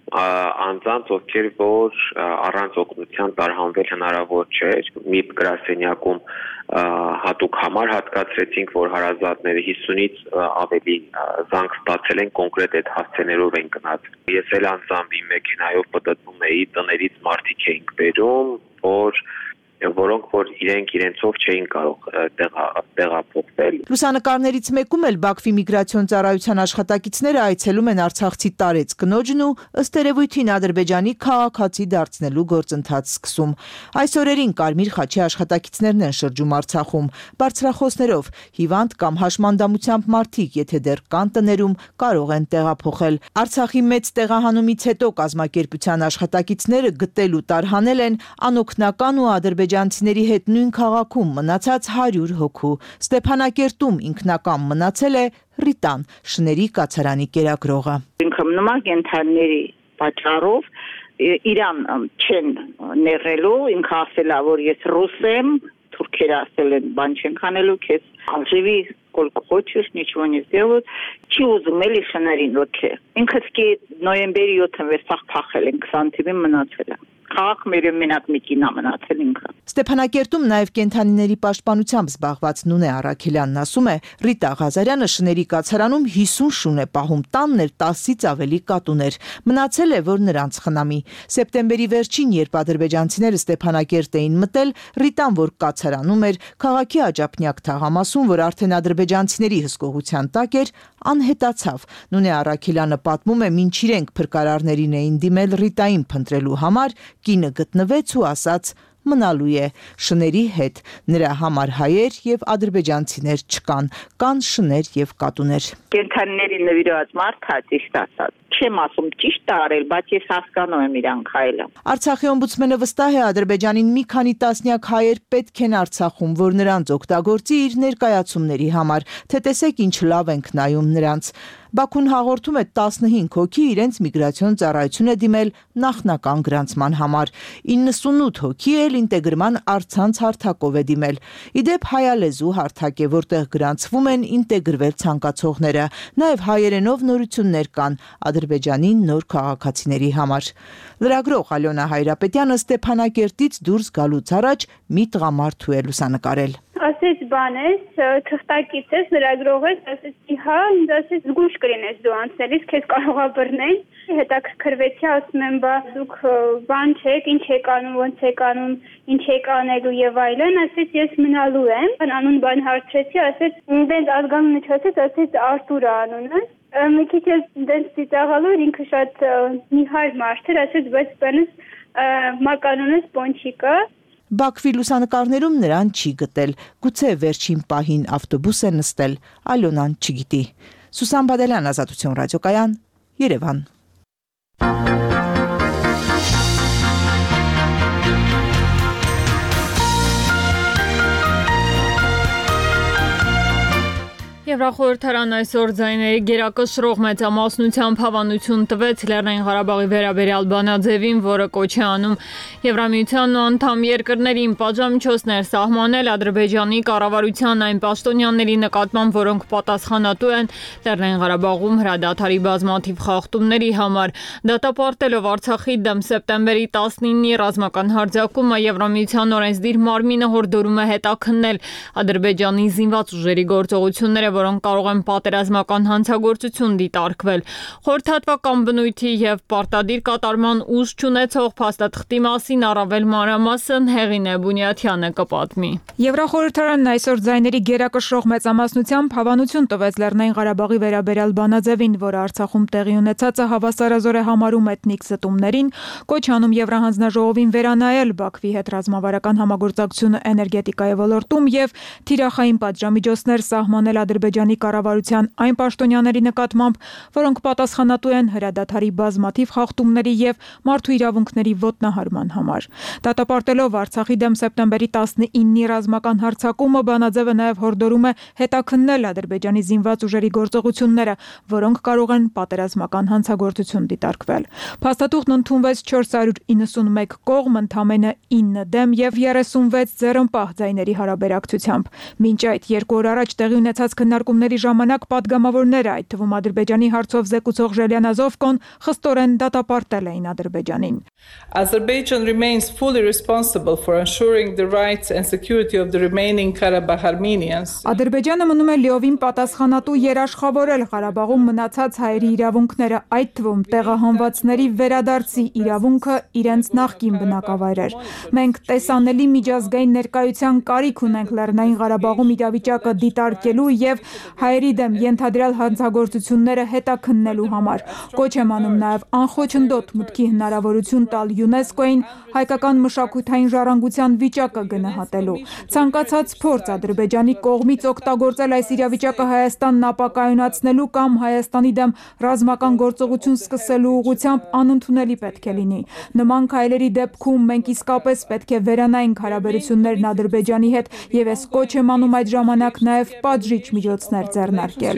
անձանց, ովքեր որ առանց օգնության տարհանվել հնարավոր չէր։ Մի գրասենյակում հատուկ համար հատկացրեցինք, որ հարազատները հիսունից ավելի զանգ ստացել են, կոնկրետ այդ հասցեներով են գնաց։ Ես էլ անձամբ իմ մեքենայով պտտվում էի, տներից մարդիկ էինք բերում, որ որոնք որ իրենք իրենցով չէին կարող տեղափոխվել։ Լուսանկարներից մեկում էլ Բաքվի միգրացիոն ծառայության աշխատակիցները այցելում են արցախցի տարեց կնոջն ու ըստ երևույթին Ադրբեջանի քաղաքացի դարձնելու գործընթաց սկսում։ Այս օրերին Կարմիր խաչի աշխատակիցներն են շրջում Արցախում բարձրախոսներով, հիվանդ կամ հաշմանդամությամբ մարդիկ, եթե դեռ կան տներում, կարող են տեղափոխել։ Արցախի մեծ տեղահանումից հետո կազմակերպության աշխատակիցները գտել ու տարհանել են անօգնական ու ադրբեջանցիների հետ նույն քաղաքում մնացած հարյուր հոգու։ Ստեփանակերտում ինքնական մնացել է Ռիտան, շների կացարանի կերակրողը։ Ինքն նման կենթանիների պատճառով իրան չեն ներելու, ինքը ասել է, որ ես ռուս եմ, թուրքերը ասել են, բան չենք անելու, քեզ живи сколько хочешь, ничего не сделают։ Չի ուզում էլի շներին ոքե։ Ինքը սկի նոյեմբերի յոթին վերսախ փախել են, քսան թիվին մնացել է։ Քաղաք մեր մենակ մի կինա մնացել ինքը։ Ստեփանակերտում նաև կենթանիների պաշտպանությամբ զբաղված Նունե Արաքելյանն ասում է, Ռիտա Ղազարյանը շների կացարանում հիսուն շուն է պահում, տանն էլ տասից ավելի կատուներ։ Մնացել է, որ նրանց խնամի։ Սեպտեմբերի վերջին, երբ ադրբեջանցիները Ստեփանակերտ էին մտել, Ռիտան, որ կացարանում էր, քաղաքի աջափնյակ թաղամասում, որ արդեն ադրբեջանցիների հսկողության տակ էր, անհետացավ։ Նունե Արաքելյանը պատմում է, մինչ իրենք փրկարարներին էին դիմել Ռիտային փնտրելու համար, կինը գտնվեց ու ասաց մնալու է շների հետ։ Նրա համար հայեր եւ ադրբեջանցիներ չկան, կան շներ եւ կատուներ։ Կենթանիների նվիրված մարդ հա ճիշտ ասած։ Չեմ ասում ճիշտ արել, բայց ես հասկանում եմ իրանք հայելը։ Արցախի օմբուդսմենը վստահ է Ադրբեջանին մի քանի տասնյակ հայեր պետք են Արցախում, որ նրանց օգտագործի իր ներկայացումների համար, թե տեսեք ինչ լավ ենք նայում նրանց։ Բաքուն հաղորդում է տասնհինգ հոգի իրենց միգրացիոն ծառայություն է դիմել նախնական գրանցման համար։ իննսունութ հոգի էլ ինտեգրման առցանց հարթակով է դիմել։ Իդեպ հայալեզու հարթակ է, որտեղ գրանցվում են ինտեգրվել ցանկացողները։ Նաև հայերենով նորություններ կան Ադրբեջանի նոր քաղաքացիների համար։ Լրագրող Ալյոնա Հայրապետյանը Ստեփանակերտից դուրս գալուց առաջ մի տղամարդու է լուսանկարել։ Ասեց բան ես, թղթակից ես, լրագրող ես, ասեցի հա, ինձ ասեց զգուշ կլինես դու անցնելիս, քեզ կարող է բռնել։ Հետաքրքրվեցի, ասում եմ, բա դուք բան չեք, ինչ եք անում, ոնց եք անում, ինչ եք անելու եւ այլն, ասեց ես մնալու եմ։ Անուն բան հարցրեցի, ասեց ինձ ազգանունը չասեց, ասեց Արտուր անունը։ Մի քիչ ես դες ծիծաղալու, ինքը շատ նիհար մարդ էր, ասեց, բայց բանս մականունս Պոնչիկա։ Բաքվի լուսանկարներում նրան չի գտել, գուցե վերջին պահին ավտոբուս է նստել, Ալյոնան չգիտի։ Սուսան Բադալյան, Ազատություն ռադիոկայան, Երևան։ Եվրախորհրդարան այսօր ձայների գերակշռող մեծամասնությամբ հավանություն տվեց Լեռնային Ղարաբաղի վերաբերյալ բանաձևին, որը կոչ է անում Եվրամիությանն ու անդամ երկրներին պատժամիջոցներ սահմանել Ադրբեջանի կառավարության այն պաշտոնյաների նկատմամբ, որոնք պատասխանատու են Լեռնային Ղարաբաղում հրադադարի բազմաթիվ խախտումների համար։ Դատապարտելով Արցախի դեմ սեպտեմբերի տասնինի ռազմական հարձակումը, Եվրամիության օրենսդիր մարմինը հորդորում է հետաքննել Ադրբեջանի զինված ուժերի գործողությունները, որոնք կարող են պատերազմական հանցագործություն դիտարկվել։ Խորհրդատվական բնույթի եւ պարտադիր կատարման ուժ չունեցող փաստաթղթի մասին առավել մանրամասն Հեղինե Բունյաթյանը կպատմի։ Եվրախորհրդարանն այսօր ձայների գերակշռող մեծամասնությամբ հավանություն տվեց Լեռնային Ղարաբաղի վերաբերյալ բանաձևին, որը Արցախում տեղի ունեցածը հավասարազոր է համարում էթնիկ զտումներին, կոչ անում Եվրահանձնաժողովին վերանայել Բաքվի հետ ռազմավարական համագործակցությունը էներգետիկայի ոլորտում եւ թիրախային պատժամիջոցներ սահմանել Ադրբեջանի կառավարության այն պաշտոնյաների նկատմամբ, որոնք պատասխանատու են հրադադարի բազմաթիվ խախտումների եւ մարդու իրավունքների ոտնահարման համար։ Դատապարտելով Արցախի դեմ սեպտեմբերի տասնինի ռազմական հարձակումը, բանաձևը նաեւ հորդորում է հետաքննել Ադրբեջանի զինված ուժերի գործողությունները, որոնք կարող են պատերազմական հանցագործություն դիտարկվել։ Փաստաթուղթն ընդունվեց չորս հարյուր իննսունմեկ կողմ, ընդամենը ինը դեմ եւ երեսունվեց ձեռնպահ ձայների հարաբերակցությամբ։ Մինչ այդ երկու օր առաջ տեղի ունեցած քննարկումների ժամանակ պատգամավորները, այդ թվում Ադրբեջանի հարցով զեկուցող Ժելիան Ազովկոն, խստորեն դատապարտել էին Ադրբեջանին։ Azerbaijan remains fully responsible for ensuring the rights and security of the remaining Karabakh Armenians. Ադրբեջանը մնում է լիովին պատասխանատու երաշխավորել Ղարաբաղում մնացած հայերի իրավունքները, այդ թվում տեղահանվածների վերադարձի իրավունքը իրենց նախկին բնակավայրեր։ Մենք տեսանելի միջազգային ներկայության կարիք ունենք Լեռնային Ղարաբաղում իրավիճակը դիտարկելու եւ հայերի դեմ ենթադրյալ հանցագործությունները հետաքննելու համար։ Կոչ եմ անում նաեւ անխոչնդոտ մուտքի հնարավորություն տալ ՅՈՒՆԵՍԿՕ-ին հայկական մշակութային ժառանգության վիճակը գնահատելու։ Ցանկացած փորձ Ադրբեջանի կողմից օգտագործել այս իրավիճակը Հայաստանն ապակայունացնելու կամ Հայաստանի դեմ ռազմական գործողություն սկսելու ուղղությամբ անընդունելի պետք է լինի։ Նման քայլերի դեպքում մենք իսկապես պետք է վերանայենք հարաբերություններն Ադրբեջանի հետ եւ ես կոչ եմ անում այդ ժամանակ նաեւ պատժիչ միջոցներ ձեռնարկել։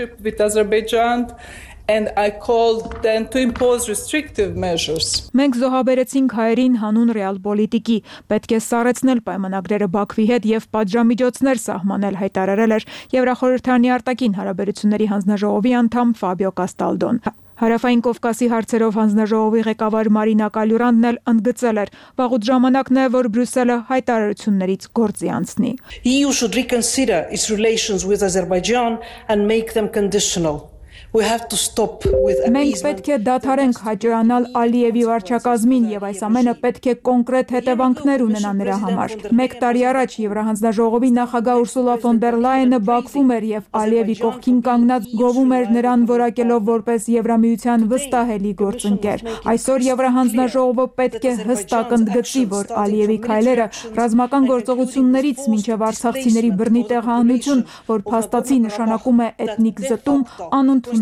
And I called them to impose restrictive measures. Մենք զոհաբերեցինք հայերին հանուն ռեալ պոլիտիկի, պետք է սառեցնել պայմանագրերը Բաքվի հետ եւ պատժամիջոցներ սահմանել, հայտարարել էր Եվրախորհրդարանի արտաքին հարաբերությունների հանձնաժողովի անդամ Ֆաբիո Կաստալդոն։ Հարավային Կովկասի հարցերով հանձնաժողովի ղեկավար Մարինա Կալյուրանն էլ ընդգծել էր. վաղուց ժամանակն է, որ Բրյուսելը հայտարարություններից գործի անցնի. E U should reconsider its relations with Azerbaijan and make them conditional. We have to stop with Մենք պետք է դադարենք հաճոյանալ Ալիևի վարչակազմին եւ այս ամենը պետք է կոնկրետ հետևանքներ ունենա նրա համար։ Մեկ տարի առաջ Եվրահանձնաժողովի նախագահ Ուրսուլա ֆոն դեր Լայենը Բաքվում էր եւ Ալիևի կողքին կանգնած գովում էր նրան որակելով որպես Եվրամիության վստահելի գործընկեր։ Այսօր Եվրահանձնաժողովը պետք է հստակ ընդգծի, որ Ալիևի քայլերը ռազմական գործողություններից մինչեւ արցախցիների բռնի տեղահանություն, որ փաստացի նշանակում է էթնիկ զտում, անընդունելի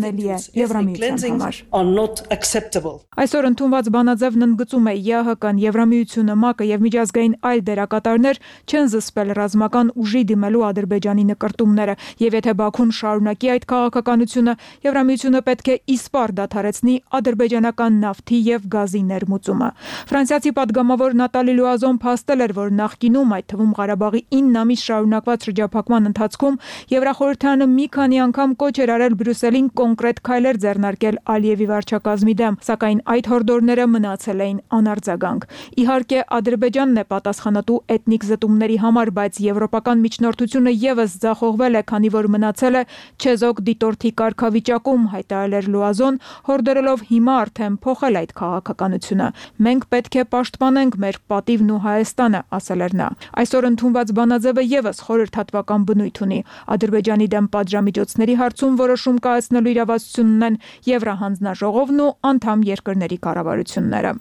Այսօր ընդունված բանաձևն ընդգծում է ԵԱՀԿ-ն, Եվրամիությունը, ՄԱԿ-ը եւ միջազգային այլ դերակատարներ չեն զսպել ռազմական ուժի դիմելու Ադրբեջանի նկրտումները եւ եթե Բաքուն շարունակի այդ քաղաքականությունը, Եվրամիությունը պետք է իսպառ դադարեցնի ադրբեջանական նավթի եւ գազի ներմուծումը։ Ֆրանսիացի պատգամավոր Նատալի Լուազոն փաստել էր, որ նախկինում, այդ թվում Ղարաբաղի ինը ամիս շարունակված շրջափակման ընթացքում Եվրախորհրդարանը մի քանի անգամ կոչ էր արել Բրյուսելին կոնկրետ քայլեր ձեռնարկել Ալիևի վարչակազմի դեմ, սակայն այդ հորդորները մնացել էին անարձագանք։ Իհարկե, Ադրբեջանն է պատասխանատու էթնիկ զտումների համար, բայց եվրոպական միջնորդությունը եւս ձախողվել է, քանի որ մնացել է չեզոք դիտորդի կարգավիճակում, հայտարարել էր Լուազոն, հորդորելով հիմա արդեն փոխել այդ քաղաքականությունը։ Մենք պետք է պաշտպանենք մեր պատիվն ու Հայաստանը, ասել էր նա։ Այսօր ընդունված բանաձևը եւս խորհրդատվական բնույթ ունի։ Ադրբեջանի դեմ պատժամիջոցների հարցում որոշում կայացնելու իրավասություն ունեն Եվրահանձնաժողովն ու անդամ երկրների կառավարությունները։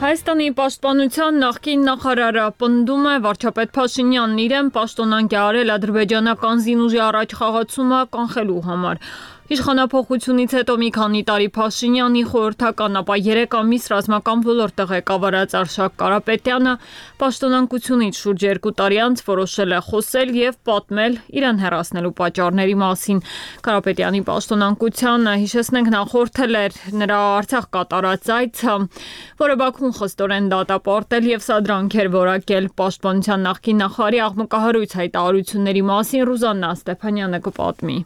Հայաստանի պաշտպանության նախկին նախարարը պնդում է վարչապետ Փաշինյանն իրեն պաշտոնանկ է արել ադրբեջանական զինուժի առաջխաղացումը կանխելու համար։ Իշխանափոխությունից հետո մի քանի տարի Փաշինյանի խորհրդական, ապա երեք ամիս ռազմական ոլորտը ղեկավարած Արշակ Կարապետյանը պաշտոնանկությունից շուրջ երկու տարի անց որոշել է խոսել եւ պատմել իրեն հեռացնելու պատճառների մասին։ Կարապետյանի պաշտոնանկությանը, հիշեցնենք, նախորդել էր նրա Արցախ կատարած այցը, որը Բաքուն խստորեն դատապարտել եւ սադրանք էր որակել պաշտպանության նախկին նախարարի աղմկահարույց հայտարարությունների մասին Ռուզաննա Ստեփանյանը կպատմի։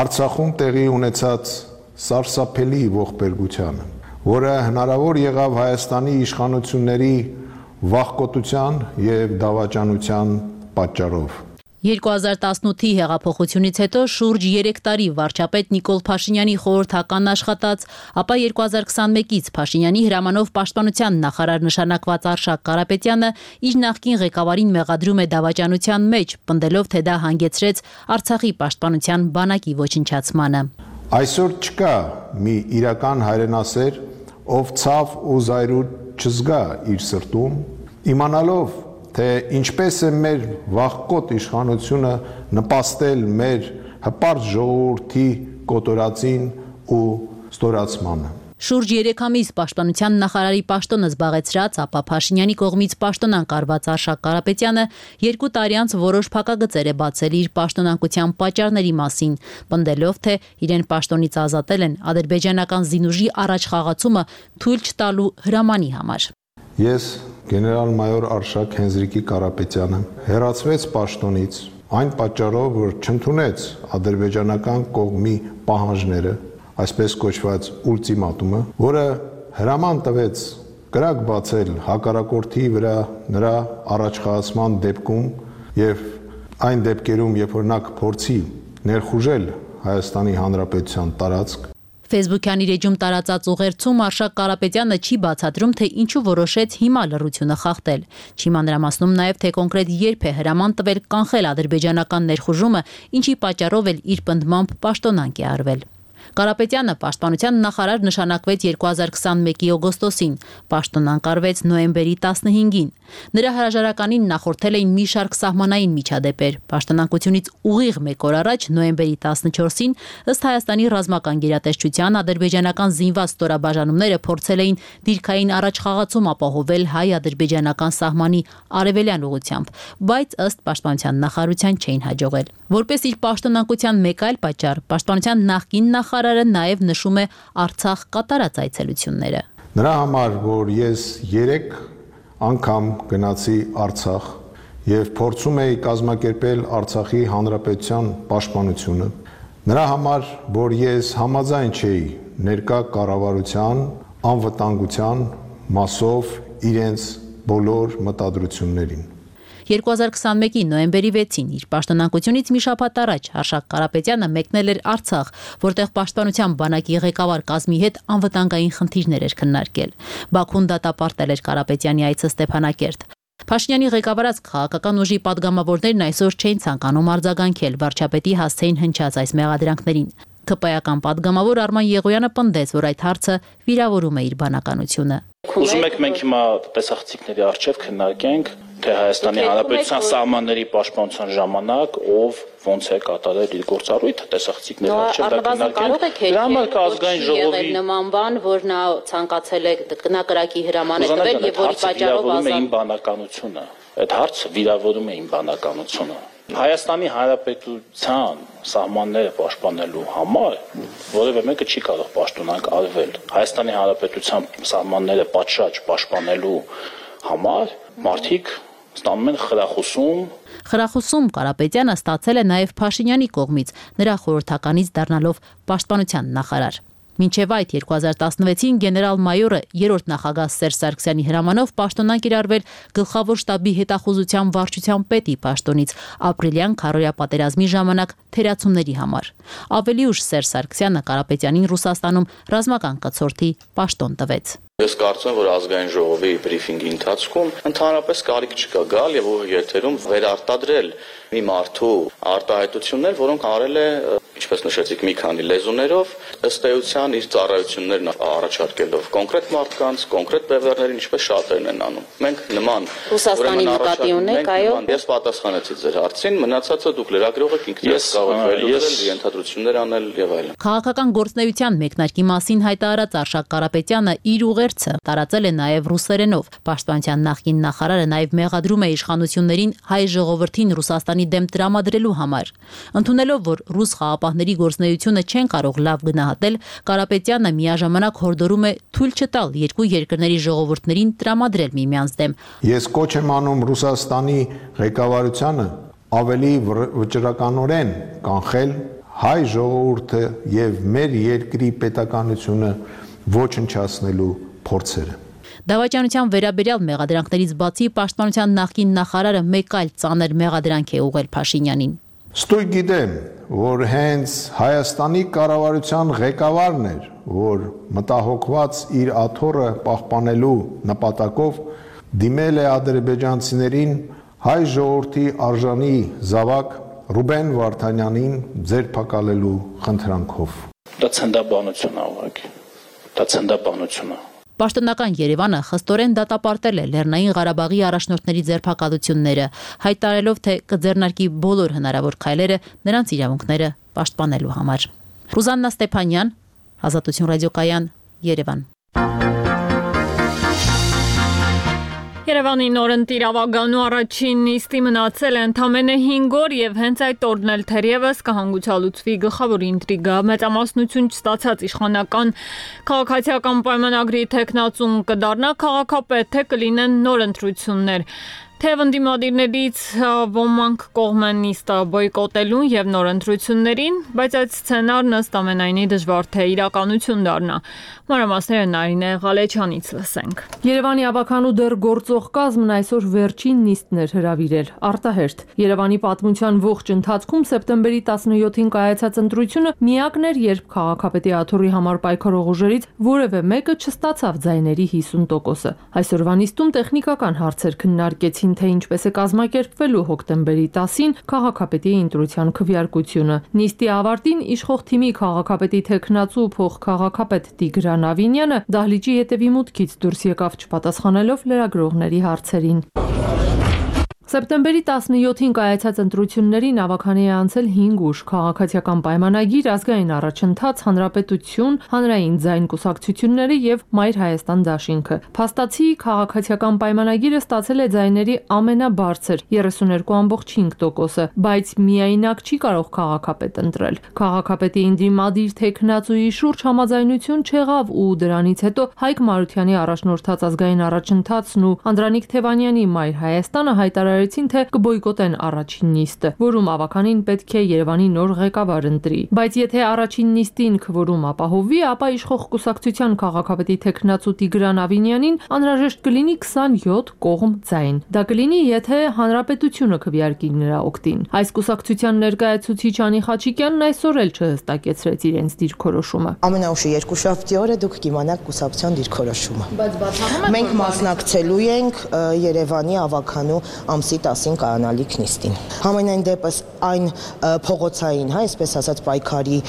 Արցախում տեղի ունեցած սարսափելի ողբերգությանը, որը հնարավոր եղավ Հայաստանի իշխանությունների վախկոտության եւ դավաճանության պատճառով։ երկու հազար տասնութի հեղափոխությունից հետո շուրջ երեք տարի վարչապետ Նիկոլ Փաշինյանի խորհրդական աշխատած, ապա երկու հազար քսանմեկից Փաշինյանի հրամանով պաշտպանության նախարար նշանակված Արշակ Կարապետյանը իր նախկին ղեկավարին մեղադրում է դավաճանության մեջ, պնդելով, թե դա հանգեցրեց Արցախի պաշտպանության բանակի ոչնչացմանը։ Այսօր չկա մի իրական հայրենասեր, ով ցավ ու զայրույթ չզգա իր սրտում, իմանալով, թե ինչպես է մեր վախկոտ իշխանությունը նպաստել մեր հպարտ ժողովրդի կոտորածին ու ստորացմանը։ Շուրջ երեք ամիս պաշտպանության նախարարի պաշտոնը զբաղեցրած, ապա Փաշինյանի կողմից պաշտոնան կարված Արշակ Կարապետյանը երկու տարի անց որոշ փակագծեր է բացել իր պաշտոնանկության պատճառների մասին, պնդելով, թե իրեն պաշտոնից ազատել են ադրբեջանական զինուժի առաջխաղացումը թույլ չտալու հրամանի համար։ Ես գեներալ-մայոր Արշակ Հենզրիկի Կարապետյանը հեռացվեց պաշտոնից այն պատճառով, որ չընդունեց ադրբեջանական կողմի պահանջները, այսպես կոչված ուլտիմատումը, որը հրաման տվեց կրակ բացել հակառակորդի վրա նրա առաջխաղացման դեպքում եւ այն դեպքերում, երբ որ նա կփորձի ներխուժել Հայաստանի Հանրապետության տարածք։ Facebook-յան իր էջում տարածած ուղերձում Արշակ Կարապետյանը չի բացատրում, թե ինչու որոշեց հիմա լռությունը խախտել։ Չի մանրամասնում նաև, թե կոնկրետ երբ է հրաման տվել կանխել ադրբեջանական ներխուժումը, ինչի պատճառով էլ իր պնդմամբ պաշտոնանկ է արվել։ Կարապետյանը պաշտպանության նախարար նշանակվեց երկու հազար քսանմեկի օգոստոսին, պաշտոնանկ արվեց նոյեմբերի տասնհինգին։ Նրա հրաժարականին նախորդել էին մի շարք սահմանային միջադեպեր։ Պաշտոնանկությունից ուղիղ մեկ օր առաջ, նոյեմբերի տասնչորսին, ըստ Հայաստանի ռազմական գերատեսչության, ադրբեջանական զինված ստորաբաժանումները փորձել էին դիրքային առաջխաղացում ապահովել հայ-ադրբեջանական սահմանի արևելյան ուղությամբ, բայց ըստ պաշտպանության նախարարության չէին հաջողել։ Որպես իր պաշտոնանկության մեկ այլ պատճառ, պաշտպանության նախկին նախարարը նաև նշում է Արցախ կատարած այցելությունները։ Նրա համար, որ ես երեք անգամ գնացի Արցախ եւ փորձում էի կազմակերպել Արցախի Հանրապետության պաշտպանությունը, նրա համար, որ ես համաձայն չէի ներկա կառավարության անվտանգության մասով իրենց բոլոր մտադրություններին։ երկու հազար քսանմեկի նոյեմբերի վեցին իր պաշտոնանկությունից մի շաբաթ առաջ Արշակ Կարապետյանը մեկնել էր Արցախ, որտեղ պաշտպանության բանակի ղեկավար կազմի հետ անվտանգային խնդիրներ էր քննարկել։ Բաքուն դատապարտել էր Կարապետյանի այցը Ստեփանակերտ։ Փաշինյանի ղեկավարած քաղաքական ուժի падգամավորներն այսօր չէին ցանկանում արձագանքել վարչապետի հասցեին հնչած այս մեղադրանքներին։ ՔՊ-ական падգամավոր Արման Եղոյանը պնդեց, որ այդ հարցը վիրավորում է իր բանականությունը։ Ուզում եք մենք հիմա տեսախցիկների առջև քննարկենք, թե Հայաստանի Հանրապետության սահմանների պաշտպանության ժամանակ ով ոնց է կատարել իր գործառույթը, տեսախցիկների առջև դա քննարկենք։ Դրա համար կա ազգային ժողովի նման բան, որ նա ցանկացել է գնակրակի հրաման է տվել եւ որի պատճառով ազատ իմ բանականությունը։ Այդ հարցը վիրավորում է իմ բանականությունը։ Հայաստանի Հանրապետության սահմանները պաշտպանելու համար որևէ մեկը չի կարող պաշտոնանկ արվել։ Հայաստանի Հանրապետության սահմանները պատշաճ պաշտպանելու համար մարդիկ ստանում են խրախուսում։ Խրախուսում Կարապետյանը ստացել է նաև Փաշինյանի կողմից, նրա խորհրդականից դառնալով պաշտպանության նախարար։ Մինչև այդ երկու հազար տասնվեցին գեներալ-մայորը երրորդ նախագահ Սերժ Սարգսյանի հրամանով պաշտոնանկ էր արվել գլխավոր շտաբի հետախուզության վարչության պետի պաշտոնից ապրիլյան քարոզիա պատերազմի ժամանակ թերացումների համար։ Ավելի ուշ Սերժ Սարգսյանը Կարապետյանին Ռուսաստանում ռազմական կցորդի պաշտոն տվեց։ Ես կարծում եմ, որ ազգային ժողովի բրիֆինգի ընթացքում ընդհանրապես կարիք չկա գալ եւ եթերում վերարտադրել մի մարդու արտահայտություններ, որոնք արել է, ինչպես նշեցիք, մի քանի լեզուներով, ըստ էության իր ծառայություններն առաջարկելով կոնկրետ մարդկանց, կոնկրետ բևեռներին, ինչպես շատերն են անում։ Մենք նման Ռուսաստանի նկատի ունենք, այո։ Ես պատասխանեցի ձեր հարցին, մնացածը դուք լրագրող եք, ինքներս կարող եք վերլուծել, ենթադրություններ անել եւ այլն։ Քաղաքական գործնեայության մեկնարկի մասին հայտարարած Արշակ Կարապետյանը իր ուղերձը տարածել է նաև ռուսերենով։ Պաշտպանության նախկին նախարարը նաև մեղադրում է իշխանություններին հայ ժողովրդին Ռուսաստանի դեմ տրամադրելու համար։ Ընդունելով, որ ռուս խաղապահների գործնեությունը չեն կարող լավ գնահատել, Կարապետյանը միաժամանակ հորդորում է թույլ չտալ երկու երկրների ժողովուրդներին տրամադրել միմյանց դեմ։ Ես կոչ եմ անում Ռուսաստանի ղեկավարությանը ավելի վճռականորեն կանխել հայ ժողովուրդը եւ մեր երկրի պետականությունը ոչնչացնելու փորձերը։ Դավաճանության վերաբերյալ մեղադրանքներից բացի պաշտպանության նախկին նախարարը մեկ այլ ծանր մեղադրանք է ուղղել Փաշինյանին։ Ստույգ գիտեմ, որ հենց Հայաստանի կառավարության ղեկավարն էր, որ մտահոգված իր աթոռը պահպանելու նպատակով դիմել է ադրբեջանցիներին հայ ժողովրդի արժանի զավակ Ռուբեն Վարդանյանին ձերբակալելու խնդրանքով։ Դա ցնդաբանություն է ուղղակի։ Դա ցնդաբանություն է։ Պաշտոնական Երևանը խստորեն դատապարտել է Լեռնային Ղարաբաղի առաջնորդների ձերբակալությունները, հայտարարելով, թե կձեռնարկի բոլոր հնարավոր քայլերը նրանց իրավունքները պաշտպանելու համար։ Ռուզաննա Ստեփանյան, Ազատություն ռադիոկայան, Երևան։ Երևանի նորընտիր ավագանու առաջին նիստի մնացել է ընդամենը հինգ օր եւ հենց այդ օրն էլ թերևս կհանգուցալուծվի գլխավոր ինտրիգա մեծամասնություն չստացած իշխանական քաղաքացիական պայմանագրի թեկնածուն կդառնա քաղաքապետ, թե կլինեն նոր ընտրություններ։ Թե ընդդիմադիրներից ոմանք կողմ են նիստը բոյկոտելուն եւ նոր ընտրություններին, բայց այդ սցենարն ըստ ամենայնի դժվար թե իրականություն դառնա։ Մանրամասները Նարինե Ղալեչյանից լսենք։ Երևանի ավականու դեռ գործող կազմն այսօր վերջին նիստն էր հրավիրել արտահերթ։ Երևանի պատմության ողջ ընթացքում սեպտեմբերի տասնյոթին կայացած ընտրությունը միակն էր, երբ քաղաքապետի աթոռի համար պայքարող ուժերից որևէ մեկը չստացավ ձայների հիսուն տոկոսը։ Այսօրվա նիստում տեխնիկական հարցեր քննարկեցին, թե ինչպես է կազմակերպվելու հոկտեմբերի տասին քաղաքապետի ընտրության քվեարկությունը։ Նիստի ավարտին իշխող թիմի քաղաքապետի թեկնածու փոխքաղաքապետ Տիգրան Ավինյանը դահլիճի հետևի մուտքից դուրս եկավ չպատասխանելով լրագրողների հարցերին։ Սեպտեմբերի տասնյոթին կայացած ընտրություններին ավականի է անցել հինգ ուժ՝ քաղաքացիական պայմանագիր, ազգային առաջընթաց, հանրապետություն, հանրային ձայն կուսակցությունները եւ Մայր Հայաստան դաշինքը։ Փաստացի քաղաքացիական պայմանագիրը ստացել է ձայների ամենաբարձր երեսուներկու ամբողջ հինգ տոկոսը, բայց միայնակ չի կարող քաղաքապետ ընտրել։ Քաղաքապետի ընդդիմադիր թեկնածուի շուրջ համաձայնություն չեղավ ու դրանից հետո Հայկ Մարությանի առաջնորդած ազգային առաջընթացն ու Անդրանիկ Թևանյանի Մայր Հայաստանը հայտարարել թե կբոյկոտեն առաջին նիստը, որում ավականին պետք է Երևանի նոր ղեկավար ընտրի։ Բայց եթե առաջին նիստին քվորում ապահովվի, ապա իշխող կուսակցության քաղաքապետի թեկնածու Տիգրան Ավինյանին անհրաժեշտ կլինի քսանյոթ կողմ ձայն։ Դա կլինի, եթե հանրապետությունը քվեարկի նրա օգտին։ Այս կուսակցության ներկայացուցիչ Անի Խաչիկյանն այսօր էլ չհստակեցրեց իրենց դիրքորոշումը։ Ամենաուշը երկուշաբթի օրը դուք կիմանաք կուսակցության դիրքորոշումը։ Բայց բացառում եք մենք մասնակցելու ենք Երևանի ավականու ամսի տասին կայանալիք նիստին։ Համենայն դեպս այն փողոցային, հա, այսպես ասած պայքարի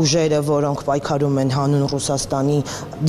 ուժերը, որոնք պայքարում են հանուն Ռուսաստանի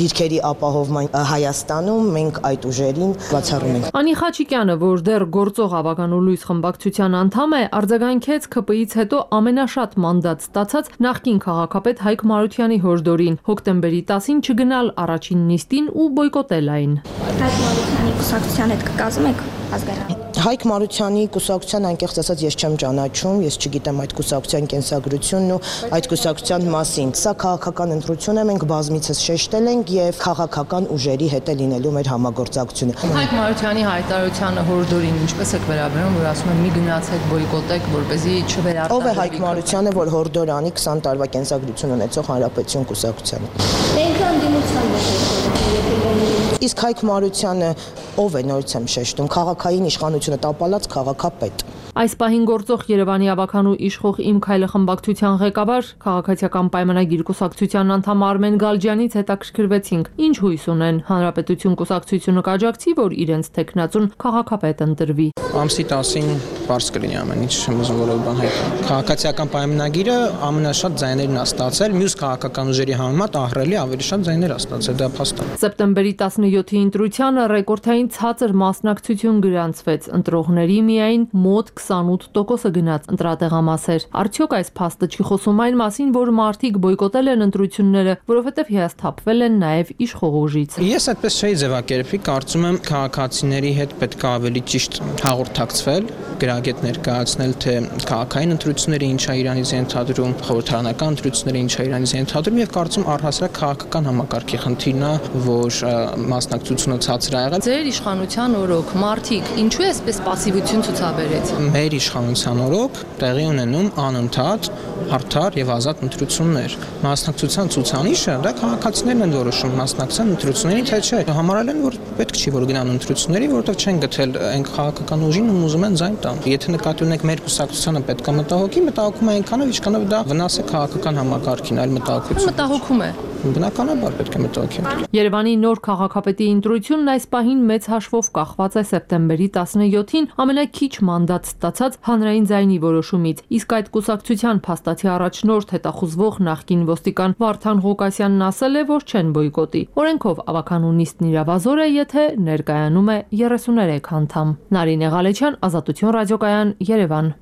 դիրքերի ապահովման Հայաստանում, մենք այդ ուժերին բացառում ենք։ Անի Խաչիկյանը, որ դեռ գործող ավականու լույս խմբակցության անդամ է, արձագանքեց ՔՊ-ից հետո ամենաշատ մանդատ ստացած նախկին քաղաքապետ Հայկ Մարությանի հորդորին հոկտեմբերի տասին չգնալ առաջին նիստին ու բոյկոտել այն։ Հայկ Մարությանի կուսակցության հետ կկազմեք ազգային Հայկ Մարությանի կուսակցության անկեղծ ասած ես չեմ ճանաչում, ես չգիտեմ այդ կուսակցության կենսագրությունն ու այդ կուսակցության մասին։ Սա քաղաքական ընտրություն է, մենք բազմիցս շեշտել ենք եւ քաղաքական ուժերի հետ է լինելու մեր համագործակցությունը։ Հայկ Մարությանի հայտարարությանը հորդորին ինչպես եք վերաբերում, որ ասում են մի գնացեք բոյկոտեք, որպեսզի չվերարտադրվի։ Ով է Հայկ Մարությանը, որ հորդոր անի քսան տարվա կենսագրություն ունեցող Հանրապետություն կուսակցությանը։ Մենք անդիմության ենք։ Իսկ Հայկ Մարությանը ով է, նորից եմ շեշտում, քաղաքային իշխանությունը տապալած քաղաքապետ։ Այս պահին գործող Երևանի ավականու իշխող Իմ Քայլը խմբակցության ղեկավար, քաղաքացիական պայմանագիր կուսակցության անդամ Արմեն Գալջյանից հետաքրքրվեցինք, ինչ հույս ունեն Հանրապետություն կուսակցությունը կաջակցի, որ իրենց թեկնածուն քաղաքապետ ընտրվի։ Ամսի տասին բարձ կլինի ամեն ինչ, չեմ ուզում որով բան հայտնել։ Քաղաքացիական պայմանագիրը ամենաշատ ձայներն է ստացել, մյուս քաղաքական ուժերի համեմատ ահռելի ավելի շատ ձայներ է ստացել, դա փաստ է։ Սեպտեմբերի տասնյոթի ընտրությանը ռեկորդային ցածր մասնակցություն գրանցվեց, ընտրողների միայն մոտ քսանութ տոկոսը գնաց ընտրատեղամասեր։ Արդյոք այս փաստը չի խոսում այն մասին, որ մարդիկ բոյկոտել են ընտրությունները, որովհետև հիասթափվել են նաև իշխող ուժից։ Ես այդպես չէի ձևակերպի, կարծում եմ քաղաքացիների հետ պետք է ավելի ճիշտ հաղորդակցվել, գրագետ ներկայացնել, թե քաղաքային ընտրությունները ինչ է իրանից ենթադրում, խորհրդարանական ընտրությունները ինչ է իրանից ենթադրում եւ կարծում առհասարակ քաղաքական համակարգի խնդիրն է, որ մասնակցությունը ցածր է եղել։ Ձեր իշխանության օրոք մարդիկ ինչու է այսպես պասիվություն ցուցաբերեց։ մեր իշխանության օրոք տեղի ունենում անընդհատ արդար եւ ազատ ընտրություններ։ Մասնակցության ցուցանիշը դա քաղաքացիներն են որոշում մասնակցության ընտրությունների թե չէ։ Համարել են, որ պետք չի որ գնան ընտրությունների, որովհետեւ չեն գտել այն քաղաքական ուժին ու ուզում են ձայն տան։ Եթե նկատի ունեք մեր կուսակցությանը պետք է մտահոգի, մտահոգում է այնքանով, ինչքանով դա վնաս է քաղաքական համակարգին, այլ մտահոգություն։ Մտահոգում է։ Բնականաբար պետք է մտահոգի։ Երևանի նոր քաղաքապետի ընտրությունն այս պահին մեծ հաշվով կախված է սեպտեմբերի տասնյոթին ամենաքիչ մանդատ ստացած հանրային ձայնի որոշումից, իսկ այդ կուսակցության փաստացի առաջնորդ հետախուզվող նախկին ոստիկան Վարդան Ղուկասյանն ասել է, որ չեն բոյկոտի։ Օրենքով ավականու նիստն իրավազոր է, եթե ներկայանում է երեսուներեք անդամ։ Նարինե Ղալեչյան, Ազատություն ռադիոկայան, Երևան։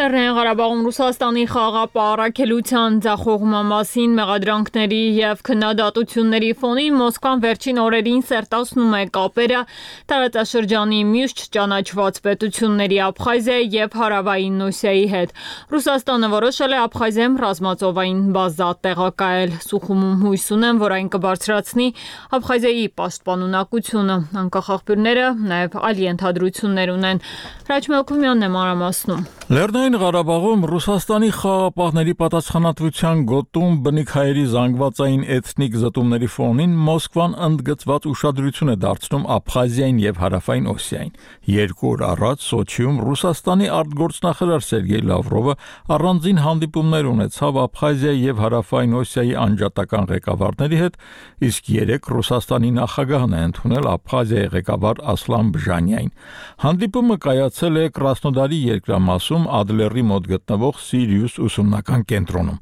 Լեռնային Ղարաբաղում Ռուսաստանի խաղապահարակելության ձախողման մասին մեղադրանքների եւ քննադատությունների ֆոնին Մոսկվան վերջին օրերին սերտացնում է կապերը տարածաշրջանի մյուս չճանաչված պետությունների Աբխազիայի եւ Հարավային Օսիայի հետ։ Ռուսաստանը որոշել է Աբխազիայում ռազմածովային բազա տեղակայել։ Սուխումում հույս ունեն, որ այն կբարձրացնի Աբխազիայի պաշտպանունակությունը։ Անկախ նաեւ այլ ենթադրություններ ունեն։ Հրաչ Մելքումյանն է մանրամասնում։ Լեռնային Ղարաբաղում Ռուսաստանի խաղապահների պատասխանատվության գոտում բնիկ հայերի զանգվածային էթնիկ զտումների ֆոնին Մոսկվան ընդգծված ուշադրություն է դարձնում Աբխազիային եւ Հարավային Օսիային։ Երկու օր առաջ Սոչիում Ռուսաստանի արտգործնախարար Սերգեյ Լավրովը առանձին հանդիպումներ ունեցավ Աբխազիայի եւ Հարավային Օսիայի անջատական ղեկավարների հետ, իսկ երեք Ռուսաստանի նախագահն է ընդունել Աբխազիայի ղեկավար Ասլան Բժանյային։ Հանդիպումը կայացել է Կրասնոդարի երկրամասում Ադլերի մոտ գտնվող Սիրիուս ուսումնական կենտրոնում։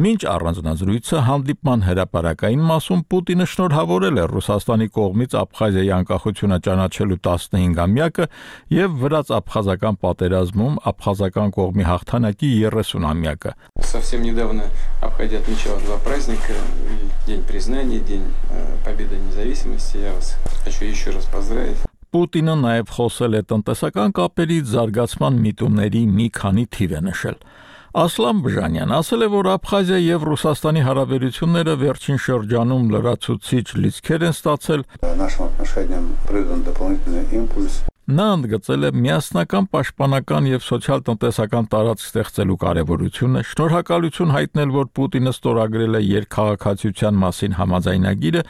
Մինչ առանձնազրույցը հանդիպման հրապարակային մասում Պուտինը շնորհավորել է Ռուսաստանի կողմից Աբխազիայի անկախությունը ճանաչելու տասնհինգամյակը եւ վրաց-աբխազական պատերազմում աբխազական կողմի հաղթանակի երեսունամյակը։ Совсем недавно Абхазия отмечала два праздника: День признания, День Победы независимости. Я вас хочу еще раз поздравить. Պուտինը նաև խոսել է տնտեսական կապերի զարգացման միտումների մի քանի թիվ է նշել։ Ասլան Բժանյան ասել է, որ Աբխազիա եւ Ռուսաստանի հարաբերությունները վերջին շրջանում լրացուցիչ լիցքեր են ստացել։ Нашим отношениям придан дополнительный импульс. Նա ընդգծել է միասնական պաշտպանական եւ սոցիալ-տնտեսական տարածք ստեղծելու կարեւորությունը, շնորհակալություն հայտնել, որ Պուտինը ստորագրել է երկխաղացիության մասին համաձայնագիրը,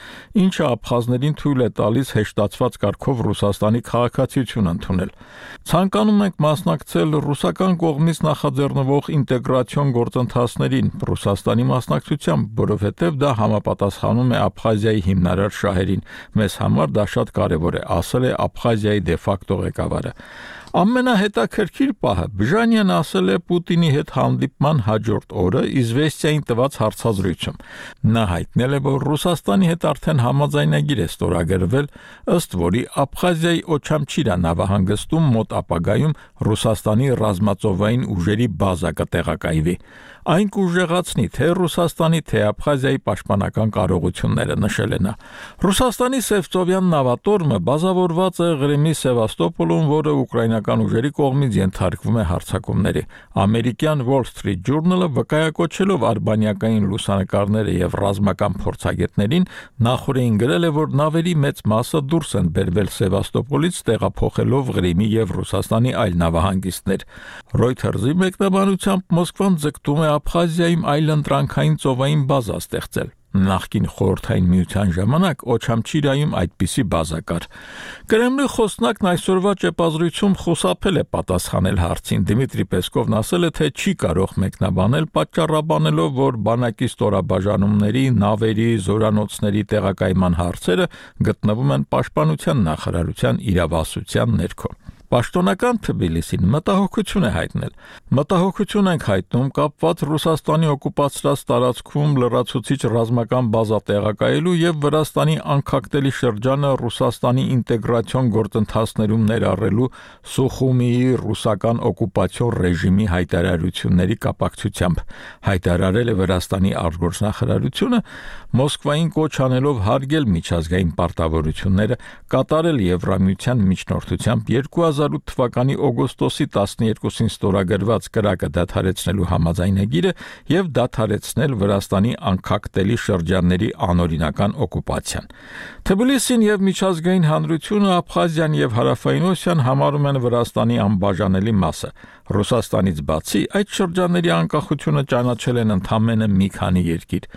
ինչը աբխազներին թույլ է տալիս հեշտացված կարգով Ռուսաստանի քաղաքացիություն ընդունել։ Ցանկանում ենք մասնակցել ռուսական կողմից նախաձեռնվող ինտեգրացիոն գործընթացներին Ռուսաստանի մասնակցությամբ, որովհետեւ դա համապատասխանում է Աբխազիայի հիմնարար շահերին։ Մեզ համար դա շատ կարեւոր է, ասել է Աբխազիայի դեֆակտո ղեկավարը։ Ամենահետաքրքիր պահը Բժանյանը ասել է Պուտինի հետ հանդիպման հաջորդ օրը Իզվեստիային տված հարցազրույցում։ Նա հայտնել է, որ Ռուսաստանի հետ արդեն համաձայնագիր է ստորագրվել, ըստ որի Աբխազիայի Օչամչիրա նավահանգստում մոտ ապագայում Ռուսաստանի ռազմածովային ուժերի բազա կտեղակայվի։ Այն կուժեղացնի թե Ռուսաստանի, թե Աբխազիայի պաշտպանական կարողությունները, նշել է նա։ Ռուսաստանի Սևծովյան նավատորմը բազավորված է Ղրիմի Սևաստոպոլում, որը ուկրաինական ուժերի կողմից ենթարկվում է հարձակումների։ Ամերիկյան Wall Street Journal-ը վկայակոչելով արբանյակային լուսանկարները եւ ռազմական փորձագետներին նախորդին գրել է, որ նավերի մեծ մասը դուրս են բերվել Սևաստոպոլից, տեղափոխելով Ղրիմի եւ Ռուսաստանի այլ նավահանգիստներ։ Reuters-ի մեկնաբանությամբ Մոսկվան ձգտում է Աբխազիայում այլընտրանքային ծովային բազա ստեղծել։ Նախկին խորհրդային միության ժամանակ Օչամչիրայում այդպիսի բազա կար։ Կրեմլի խոսնակն այսօրվա ճեպազրույցում խուսափել է պատասխանել հարցին։ Դմիտրի Պեսկովն ասել է, թե չի կարող մեկնաբանել, պատճառաբանելով, որ բանակի ստորաբաժանումների, նավերի, զորանոցների տեղակայման հարցերը գտնվում են Պաշտպանության նախարարության իրավասության ներքո։ Պաշտոնական Թբիլիսին մտահոգություն է հայտնել։ Մտահոգություն ենք հայտնում կապված Ռուսաստանի օկուպացրած տարածքում լրացուցիչ ռազմական բազա տեղակայելու եւ Վրաստանի անկախտելի շրջանը Ռուսաստանի ինտեգրացիոն գործընթացներում ներառելու Սուխումիի ռուսական օկուպացիոն ռեժիմի հայտարարությունների կապակցությամբ, հայտարարել է Վրաստանի արտգործնախարարությունը, Մոսկվային կոչ անելով հարգել միջազգային պարտավորությունները, կատարել Եվրամիության միջնորդությամբ երկու հազար ութ թվականի օգոստոսի տասներկուսին ստորագրված կրակը դադարեցնելու համաձայնագիրը եւ դադարեցնել Վրաստանի անկախտելի շրջանների անօրինական օկուպացիան։ Թբիլիսին եւ միջազգային հանրությունը Աբխազիան եւ Հարավային Օսիան համարում են Վրաստանի անբաժանելի մասը։ Ռուսաստանից բացի այդ շրջանների անկախությունը ճանաչել են ընդամենը մի քանի երկիր։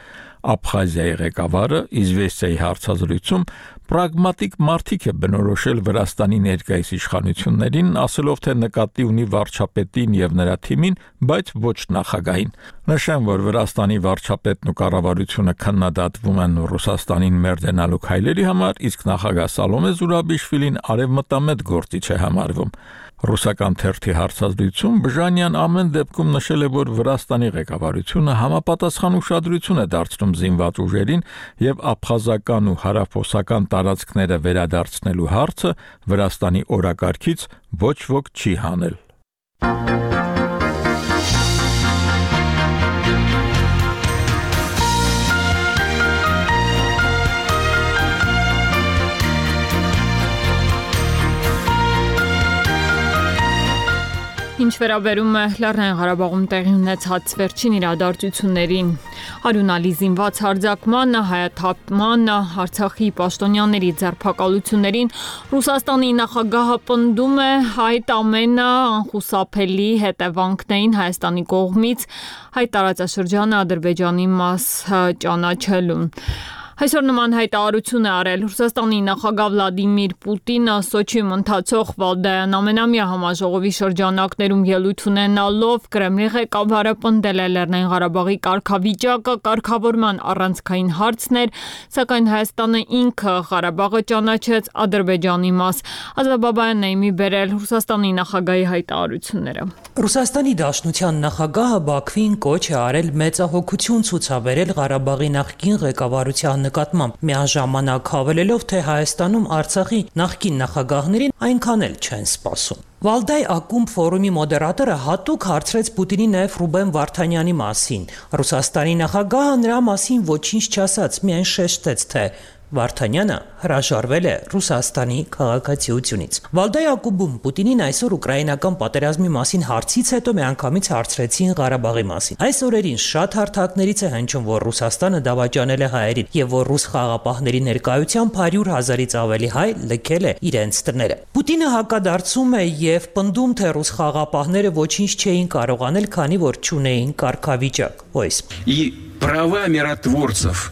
Աբխազիայի ղեկավարը Իզվեստիայի հարցազրույցում պրագմատիկ մարտիկ է բնորոշել Վրաստանի ներկայիս իշխանություններին, ասելով, թե նկատի ունի վարչապետին եւ նրա թիմին, բայց ոչ նախագահին։ Նշեմ, որ Վրաստանի վարչապետն ու կառավարությունը քննադատվում են Ռուսաստանին մերձենալու քայլերի համար, իսկ նախագահ Սալոմե Զուրաբիշվիլին արևմտամետ գործիչ է համարվում։ Ռուսական թերթի հարցազրույցում Բժանյան ամեն դեպքում նշել է, որ Վրաստանի ղեկավարությունը համապատասխան ուշադրություն է դարձնում զինված ուժերին եւ աբխազական ու հարավօսական տարածքները վերադարձնելու հարցը Վրաստանի օրակարգից ոչ ոք չի հանել։ Ինչ վերաբերում է Լեռնային Ղարաբաղում տեղի ունեցած վերջին իրադարձություններին, Հարունալի զինված հարձակմանը, հայաթափմանը, Արցախի պաշտոնյաների ձերբակալություններին, Ռուսաստանի նախագահը պնդում է այդ ամենը անխուսափելի հետևանքներին Հայաստանի կողմից հայ տարածաշրջանը Ադրբեջանի մաս ճանաչելուն։ Այսօր նման հայտարարություն է արել Ռուսաստանի նախագահ Վլադիմիր Պուտինը Սոչիում ընթացող Վալդայան ամենամյա համաժողովի շրջանակներում ելույթ ունենալով Կրեմլի ղեկավարը պնդել է Լեռնային Ղարաբաղի կարգավիճակը կարգավորման առանցքային հարցն էր, սակայն Հայաստանը ինքը Ղարաբաղը ճանաչեց Ադրբեջանի մաս։ Ազատ Բաբայանն է իմի բերել Ռուսաստանի նախագահի հայտարարությունները։ Ռուսաստանի Դաշնության նախագահը Բաքվին կոչ է արել մեծահոգություն ցուցաբերել Ղարաբաղի նախկին ղեկավարության նկատմամբ, միաժամանակ հավելելով, թե Հայաստանում Արցախի նախկին նախագահներին այնքան էլ չեն սպասում։ Վալդայ ակումբ ֆորումի մոդերատորը հատուկ հարցրեց Պուտինի նաև Ռուբեն Վարդանյանի մասին։ Ռուսաստանի նախագահը նրա մասին ոչինչ չասաց, միայն շեշտեց, թե Վարդանյանը հրաժարվել է Ռուսաստանի քաղաքացիությունից։ Վալդայ ակումբում Պուտինին այսօր ուկրաինական պատերազմի մասին հարցից հետո միանգամից հարցրեցին Ղարաբաղի մասին։ Այս օրերին շատ հարթակներից է հնչում, որ Ռուսաստանը դավաճանել է հայերին եւ որ ռուս խաղապահների ներկայությամբ հարյուր հազարից ավելի հայ լքել է իրենց տները։ Պուտինը հակադարձում է եւ պնդում, թե ռուս խաղապահները ոչինչ չէին կարող անել, քանի որ չունեին կարգավիճակ։ Ո՞յս։ И права миротворцев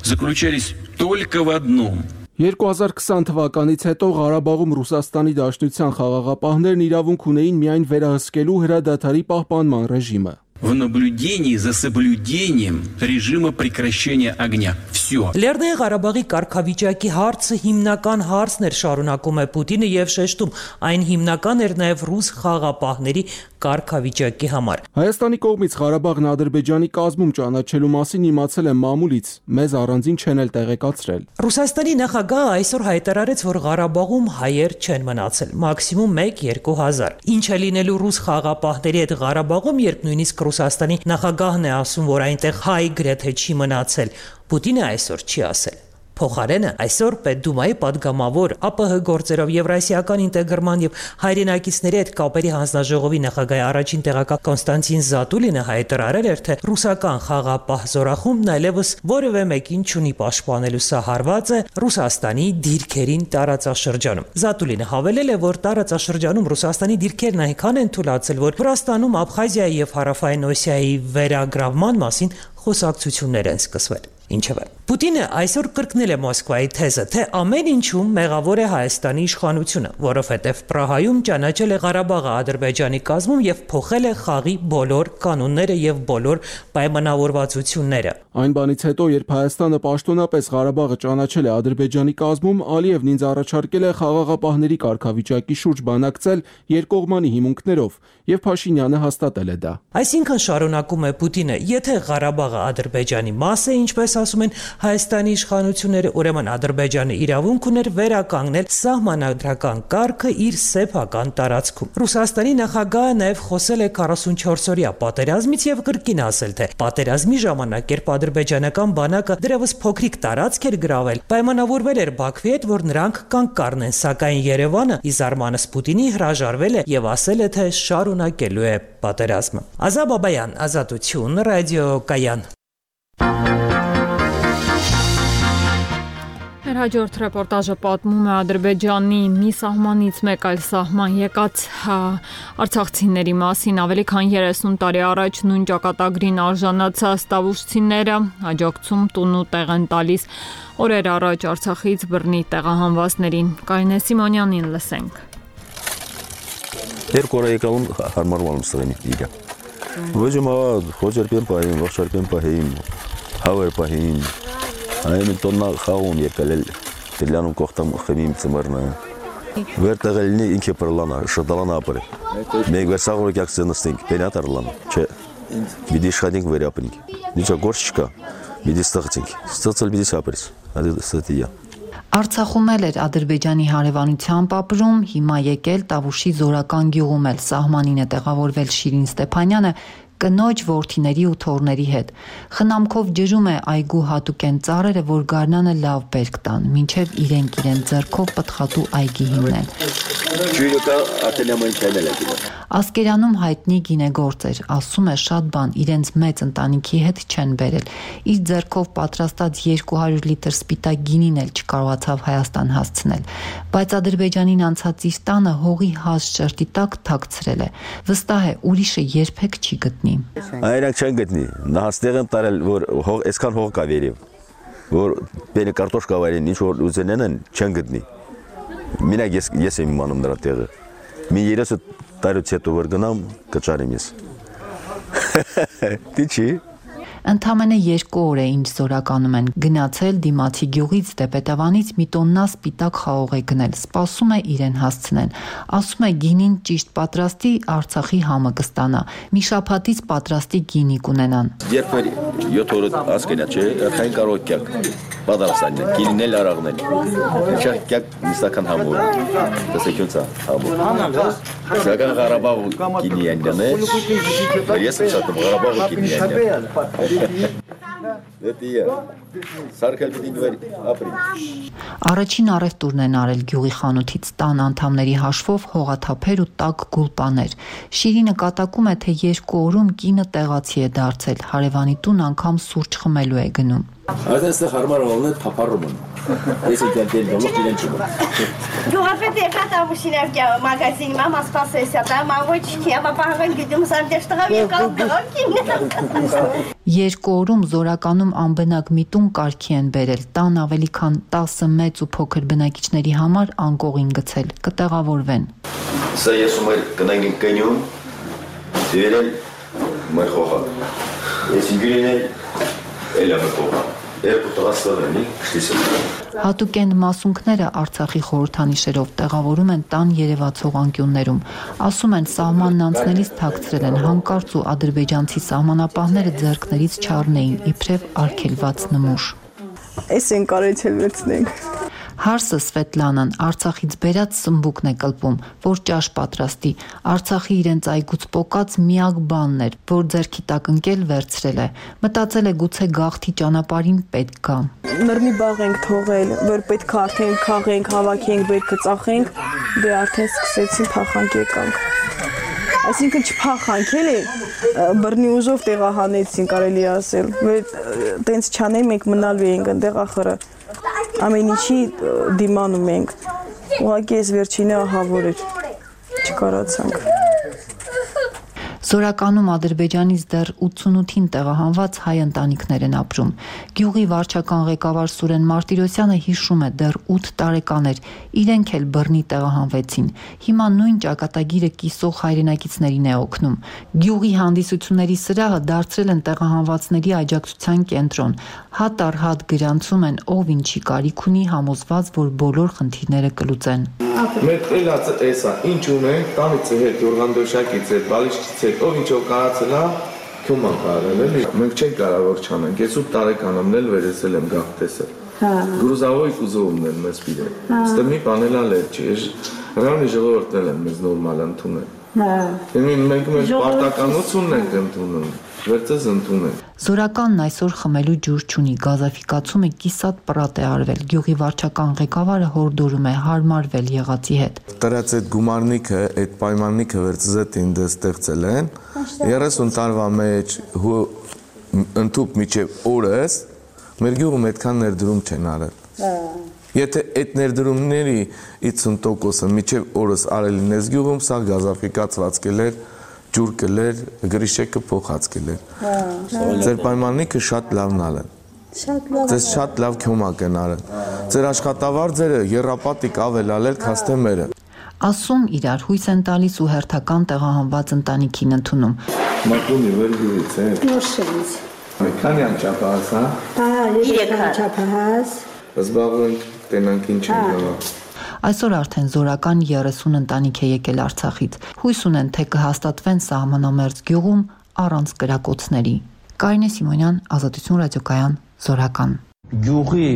заключались только в одном. երկու հազար քսան թվականից հետո Ղարաբաղում Ռուսաստանի Դաշնության խաղաղապահներն իրավունք ունեին միայն վերահսկելու հրադադարի պահպանման ռեժիմը։ В наблюдении за соблюдением режима прекращения огня. Все. Լեռնային Ղարաբաղի կարգավիճակի հարցը հիմնական հարցն էր, շարունակում է Պուտինը եւ շեշտում, այն հիմնական էր նաեւ ռուս խաղապահների կարգավիճակի համար։ Հայաստանի կողմից Ղարաբաղն Ադրբեջանի կազմում ճանաչելու մասին իմացել է մամուլից, մեզ առանձին չեն էլ տեղեկացրել։ Ռուսաստանի նախագահը այսօր հայտարարեց, որ Ղարաբաղում հայեր չեն մնացել, մաքսիմում մեկ-երկու հազար։ Ինչ է լինելու ռուս խաղապահների հետ Ղարաբաղում, երբ նույնիսկ Ռուսաստանի նախագահն է ասում, որ այնտեղ հայ գրեթե չի մնացել, Պուտինը այսօր չի ասել։ Փոխարենը այսօր Պետդումայի падգամավոր ԱՊՀ գործերով Եվրասիական ինտեգրման եւ հայրենակիցների հետ կապերի հանձնաժողովի նախագահի առաջին տեղակալ Կոնստանտին Զատուլինը հայտարարել էր, թե ռուսական խաղապահ զորախումբն այլևս որևէ մեկին չունի պաշտպանելու, սա հարված է Ռուսաստանի դիրքերին տարածաշրջանում։ Զատուլինը հավելել է, որ տարածաշրջանում Ռուսաստանի դիրքերն այնքան են թուլացել, որ Վրաստանում Աբխազիայի եւ Հարավային Օսիայի վերագրավման մասին խոսակցություններ են սկսվել։ Ինչևէ Պուտինը այսօր կրկնել է Մոսկվայի թեզը, թե ամեն ինչում մեղավոր է Հայաստանի իշխանությունը, որովհետև Պրահայում ճանաչել է Ղարաբաղը Ադրբեջանի կազմում եւ փոխել է խաղի բոլոր կանոնները եւ բոլոր պայմանավորվածությունները։ Այն բանից հետո, երբ Հայաստանը պաշտոնապես Ղարաբաղը ճանաչել է Ադրբեջանի կազմում, Ալիևն ինձ առաջարկել է խաղաղապահների կարգավիճակի շուրջ բանակցել երկկողմանի հիմունքներով, եւ Փաշինյանը հաստատել է դա։ Այսինքն շարունակում է Պուտինը, եթե Ղարաբաղը Ադրբեջանի մաս է, ինչպես ասում են Հայաստանի իշխանությունները, ուրեմն Ադրբեջանը իրավունք ուներ վերականգնել սահմանադրական կարգը իր սեփական տարածքում։ Ռուսաստանի նախագահը նաև խոսել է քառասունչորս-օրյա պատերազմից եւ կրկին ասել, թե պատերազմի ժամանակ, երբ ադրբեջանական բանակը դեռևս փոքրիկ տարածք էր գրավել, պայմանավորվել էր Բաքվի հետ, որ նրանք կանգ կառնեն, սակայն Երևանը ի զարմանս Պուտինի հրաժարվել է եւ ասել է, թե շարունակելու է պատերազմը։ Ազա Բաբայան, Ազատություն, ռադիո Կայան։ Հաջորդ ռեպորտաժը պատմում է Ադրբեջանի մի սահմանից մեկ այլ սահման եկած արցախցիների մասին։ Ավելի քան երեսուն տարի առաջ նույն ճակատագրին արժանացած տավուշցիները աջակցում տուն ու տեղ են տալիս օրեր առաջ Արցախից բռնի տեղահանվածներին։ Կարինե Սիմոնյանին լսենք։ Երկու օր եկալում հարմարվում սրենի իգա։ Ոջում խոջերպեն պահին, ողջերպեն պահին, հավեր պահին։ Այն տոննա խաղում եկել էլ դիլանում կողտամ խմիմ ծմարնա։ Վերտեղելնի ինքը պրլանա, շդալանա ապրե։ Մեկ վերսաղորը կյակցենստենք, պենատարլան, չէ, բիդի իշխանենք վերապնենք։ Նիչա գործ չկա, բիդի ստղծենք, ստղծել բիդի սապրես, ադի ստիա։ Արցախում էլ էր Ադրբեջանի հարևանությամբ ապրում, հիմա եկել Տավուշի Զորական գյուղում էլ սահմանին է տեղավորվել Շիրին Ստեփանյանը կնոջ, որդիների ու թոռների հետ։ Խնամքով ջրում է այգու հատուկեն ծառերը, որ գարնանը լավ բերք տան, մինչև իրենք իրեն ձեռքով պտղատու այգի հիմնեն։ Ասկերանում հայտնի գինեգործ էր, ասում է շատ բան իրենց մեծ ընտանիքի հետ չեն բերել։ Իր ձեռքով պատրաստած երկու հարյուր լիտր սպիտակ գինին էլ չկարողացավ Հայաստան հասցնել, բայց Ադրբեջանին անցած իր տանը հողի հաս շերտի տակ թաքցրել է։ Վստահ է, ուրիշը երբեք չի գտնի։ Այրանք չեն գտնի, նահաստեղ են տարել, որ այսքան հող կա վերև, որ բենը կարտոշ կավարին, ինչ որ ուզենեն են, չեն գտնի։ Մինակ ես եմ իմանում նրա տեղը, մի երեսը տարուց հետո որ գնամ, կճարեմ ես։ Դի չի։ Ընդամենը երկու օր է ինչ Զորականում են գնացել դիմացի գյուղից Տեպետավանից մի տոննա սպիտակ խաղող է գնել, սպասում է իրեն հասցնեն, ասում է գինին ճիշտ պատրաստի Արցախի համը կստանա, մի շաբաթից պատրաստի գինի կունենան։ Երբ որ յոթ օր ասկենա չէ, արխային կարող կյակ պատրաստան, գինին էլ արաղնել, չա կյակ նիստական համոր, տեսեքյոնցա համոր, սական Ղարաբաղ գինի ենյան է, ես եմ շատում Ղարաբաղ գինի ենյան։ Առաջին առևտուրն են արել գյուղի խանութից տան անդամների հաշվով հողաթափեր ու տաք գուլպաներ։ Շիրինը կատակում է, թե երկու օրում կինը տեղացի է դարձել, հարևանի տուն անգամ սուրճ խմելու է գնում։ Այդտեղ հարմար ողնել թափառում են։ Ես ինքնին դոլող իրեն չեմ։ Գյուղապետ եկա Տավուշին մագազինի մամա սպասեսա, դա մավոչքի, ապահովեն գիտում սանդեշտղավ եկալ գոքին։ Երկու օրում Զորականում անբնակ մի տուն կարգի են բերել, տան ավելի քան տասը մեծ ու փոքր բնակիչների համար անկողին գցել, կտեղավորվեն։ Սա ես ու մեր կնանք կնյուն, դերել մեր խողա։ Ես ինգրին էլ էլ եմ խողա։ Հատուկեն մասունքները Արցախի խորհրդանիշերով տեղավորում են տան երևացող անկյուններում։ Ասում են սահմանն անցնելիս թաքցրել են հանկարծ ու ադրբեջանցի սահմանապահները ձեռքներից չառնեին իբրև արգելված նմուշ։ Էս են կարեցել վերցնենք։ Հարսը Սվետլանան Արցախից բերած սմբուկն է կլպում, որ ճաշ պատրաստի։ Արցախի իրենց այգուց պոկած միակ բանն էր, որ ձեռքի տակ ընկել վերցրել է։ Մտածել է գուցե գաղթի ճանապարհին պետք գա։ Նռնի բաղ ենք թողել, որ պետք է արդեն քաղենք, հավաքենք, բերքը ծախենք, դե արդեն սկսեցին փախանք եկանք։ Այսինքն չփախանք էլի, բռնի ուժով տեղահանեցին, կարելի ասել։ Տենց չանեին, մենք մնալու էինք այնտեղ ախորը։ Ամեն ինչի դիմանում ենք, ուղղակի ես վերջինը ահավոր էր, չկարացանք։ Զորականում Ադրբեջանից դեռ ութսունութին տեղահանված հայ ընտանիքներ են ապրում։ Գյուղի վարչական ղեկավար Սուրեն Մարտիրոսյանը հիշում է, դեռ ութ տարեկան էր, իրենք էլ բռնի տեղահանվեցին։ Հիմա նույն ճակատագիրը կիսող հայրենակիցներին է օգնում։ Գյուղի հանդիսությունների սրահը դարձրել են տեղահանվածների աջակցության կենտրոն։ Հատ առ հատ գրանցում են ով ինչի կարիք ունի, համոզված, որ բոլոր խնդիրները կլուծեն։ Մեր ելածը էսա, ինչ ունենք, տանից հետ, յորղանդոշակից հետ, բալիչքից հետ, ով ինչով կարացել է, քյոման կարել էլի։ Մենք չենք կարող չանենք, ես ութ տարեկանամն էլ վերեսել եմ գաղ տեսել։ Գրուզավոյ կուզովումն են մեզ պիրել։ Ստե մի բանել ալեր չի, հրանի ժողովորդն էլ են մեզ նորմալ ընդունել։ Մենք մեր պարտականությունն ենք ընդունում, վերցես ընդունել։ Զորականն այսօր խմելու ջուր չունի, գազաֆիկացումը կիսատ պրատ է արվել։ Գյուղի վարչական ղեկավարը հորդորում է հարմարվել եղածի հետ։ Տրած այդ գումարնիքը, այդ պայմաննիքը վերցզետ ինձ ստեղծել են, երեսուն տարվա մեջ ընդཐུպ միջև օրս մեր գյուղում այդքան ներդրում չեն արել։ Եթե այդ ներդրումների ութսուն տոկոսը միջև օրս արել ինես գյուղում, սա գազաֆիկացված կելեր, ջուր կելեր, գրիշեկը փոխած կելեր։ Ձեր պայմաննիքը շատ լավն ալեն։ Ձեզ շատ լավ քյոմակ են արել։ Ձեր աշխատավարձերը եռապատիկ ավել ալել քաստե մերը։ Ասում իրար հույս են տալիս ու հերթական տեղահանված ընտանիքին ընդունում։ Մատունի վերգյուղից է։ Նորշից։ Քանյան չափահաս, հա։ Հա, երեք չափահաս։ Զբաղվենք տենանք ինչ են գալա։ Այսօր արդեն զորական երեսուն ընտանիք է եկել Արցախից։ Հույս ունեն, թե կհաստատվեն սահմանամերձ գյուղում առանց կրակոցների։ Կարինե Սիմոնյան, Ազատություն ռադիոկայան, Զորական։ Գյուղի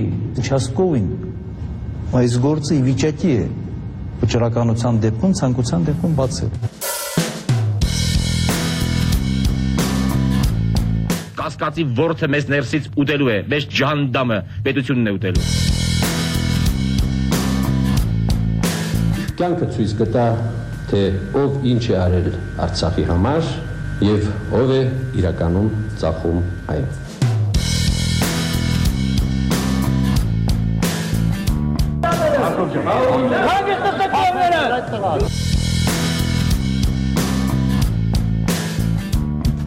участковին այս գործը ի վիճակի է վճռականության դեպքում, ցանկության դեպքում բացել։ Կասկածի ворթը մեզ ներսից ուտելու է, մեզ ջանդամը պետությունն է ուտելու։ Կյանքը ցույց կտա, թե ով ինչ է արել Արցախի համար եւ ով է իրականում ծախում այն։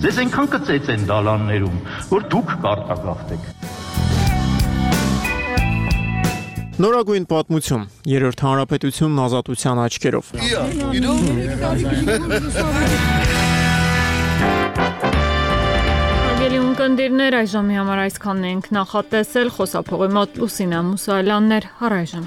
Ձեզ այնքան կծեց են դալաններում, որ դուք կարտագաղթեք։ Նորագույն պատմություն, երրորդ հանրապետությունն ազատության աչքերով։ Հարգելի ունկնդիրներ, այժմի համար այսքանն ենք նախատեսել, խոսափողի մոտ Լուսինա Մուսայելյաններ, առայժմ։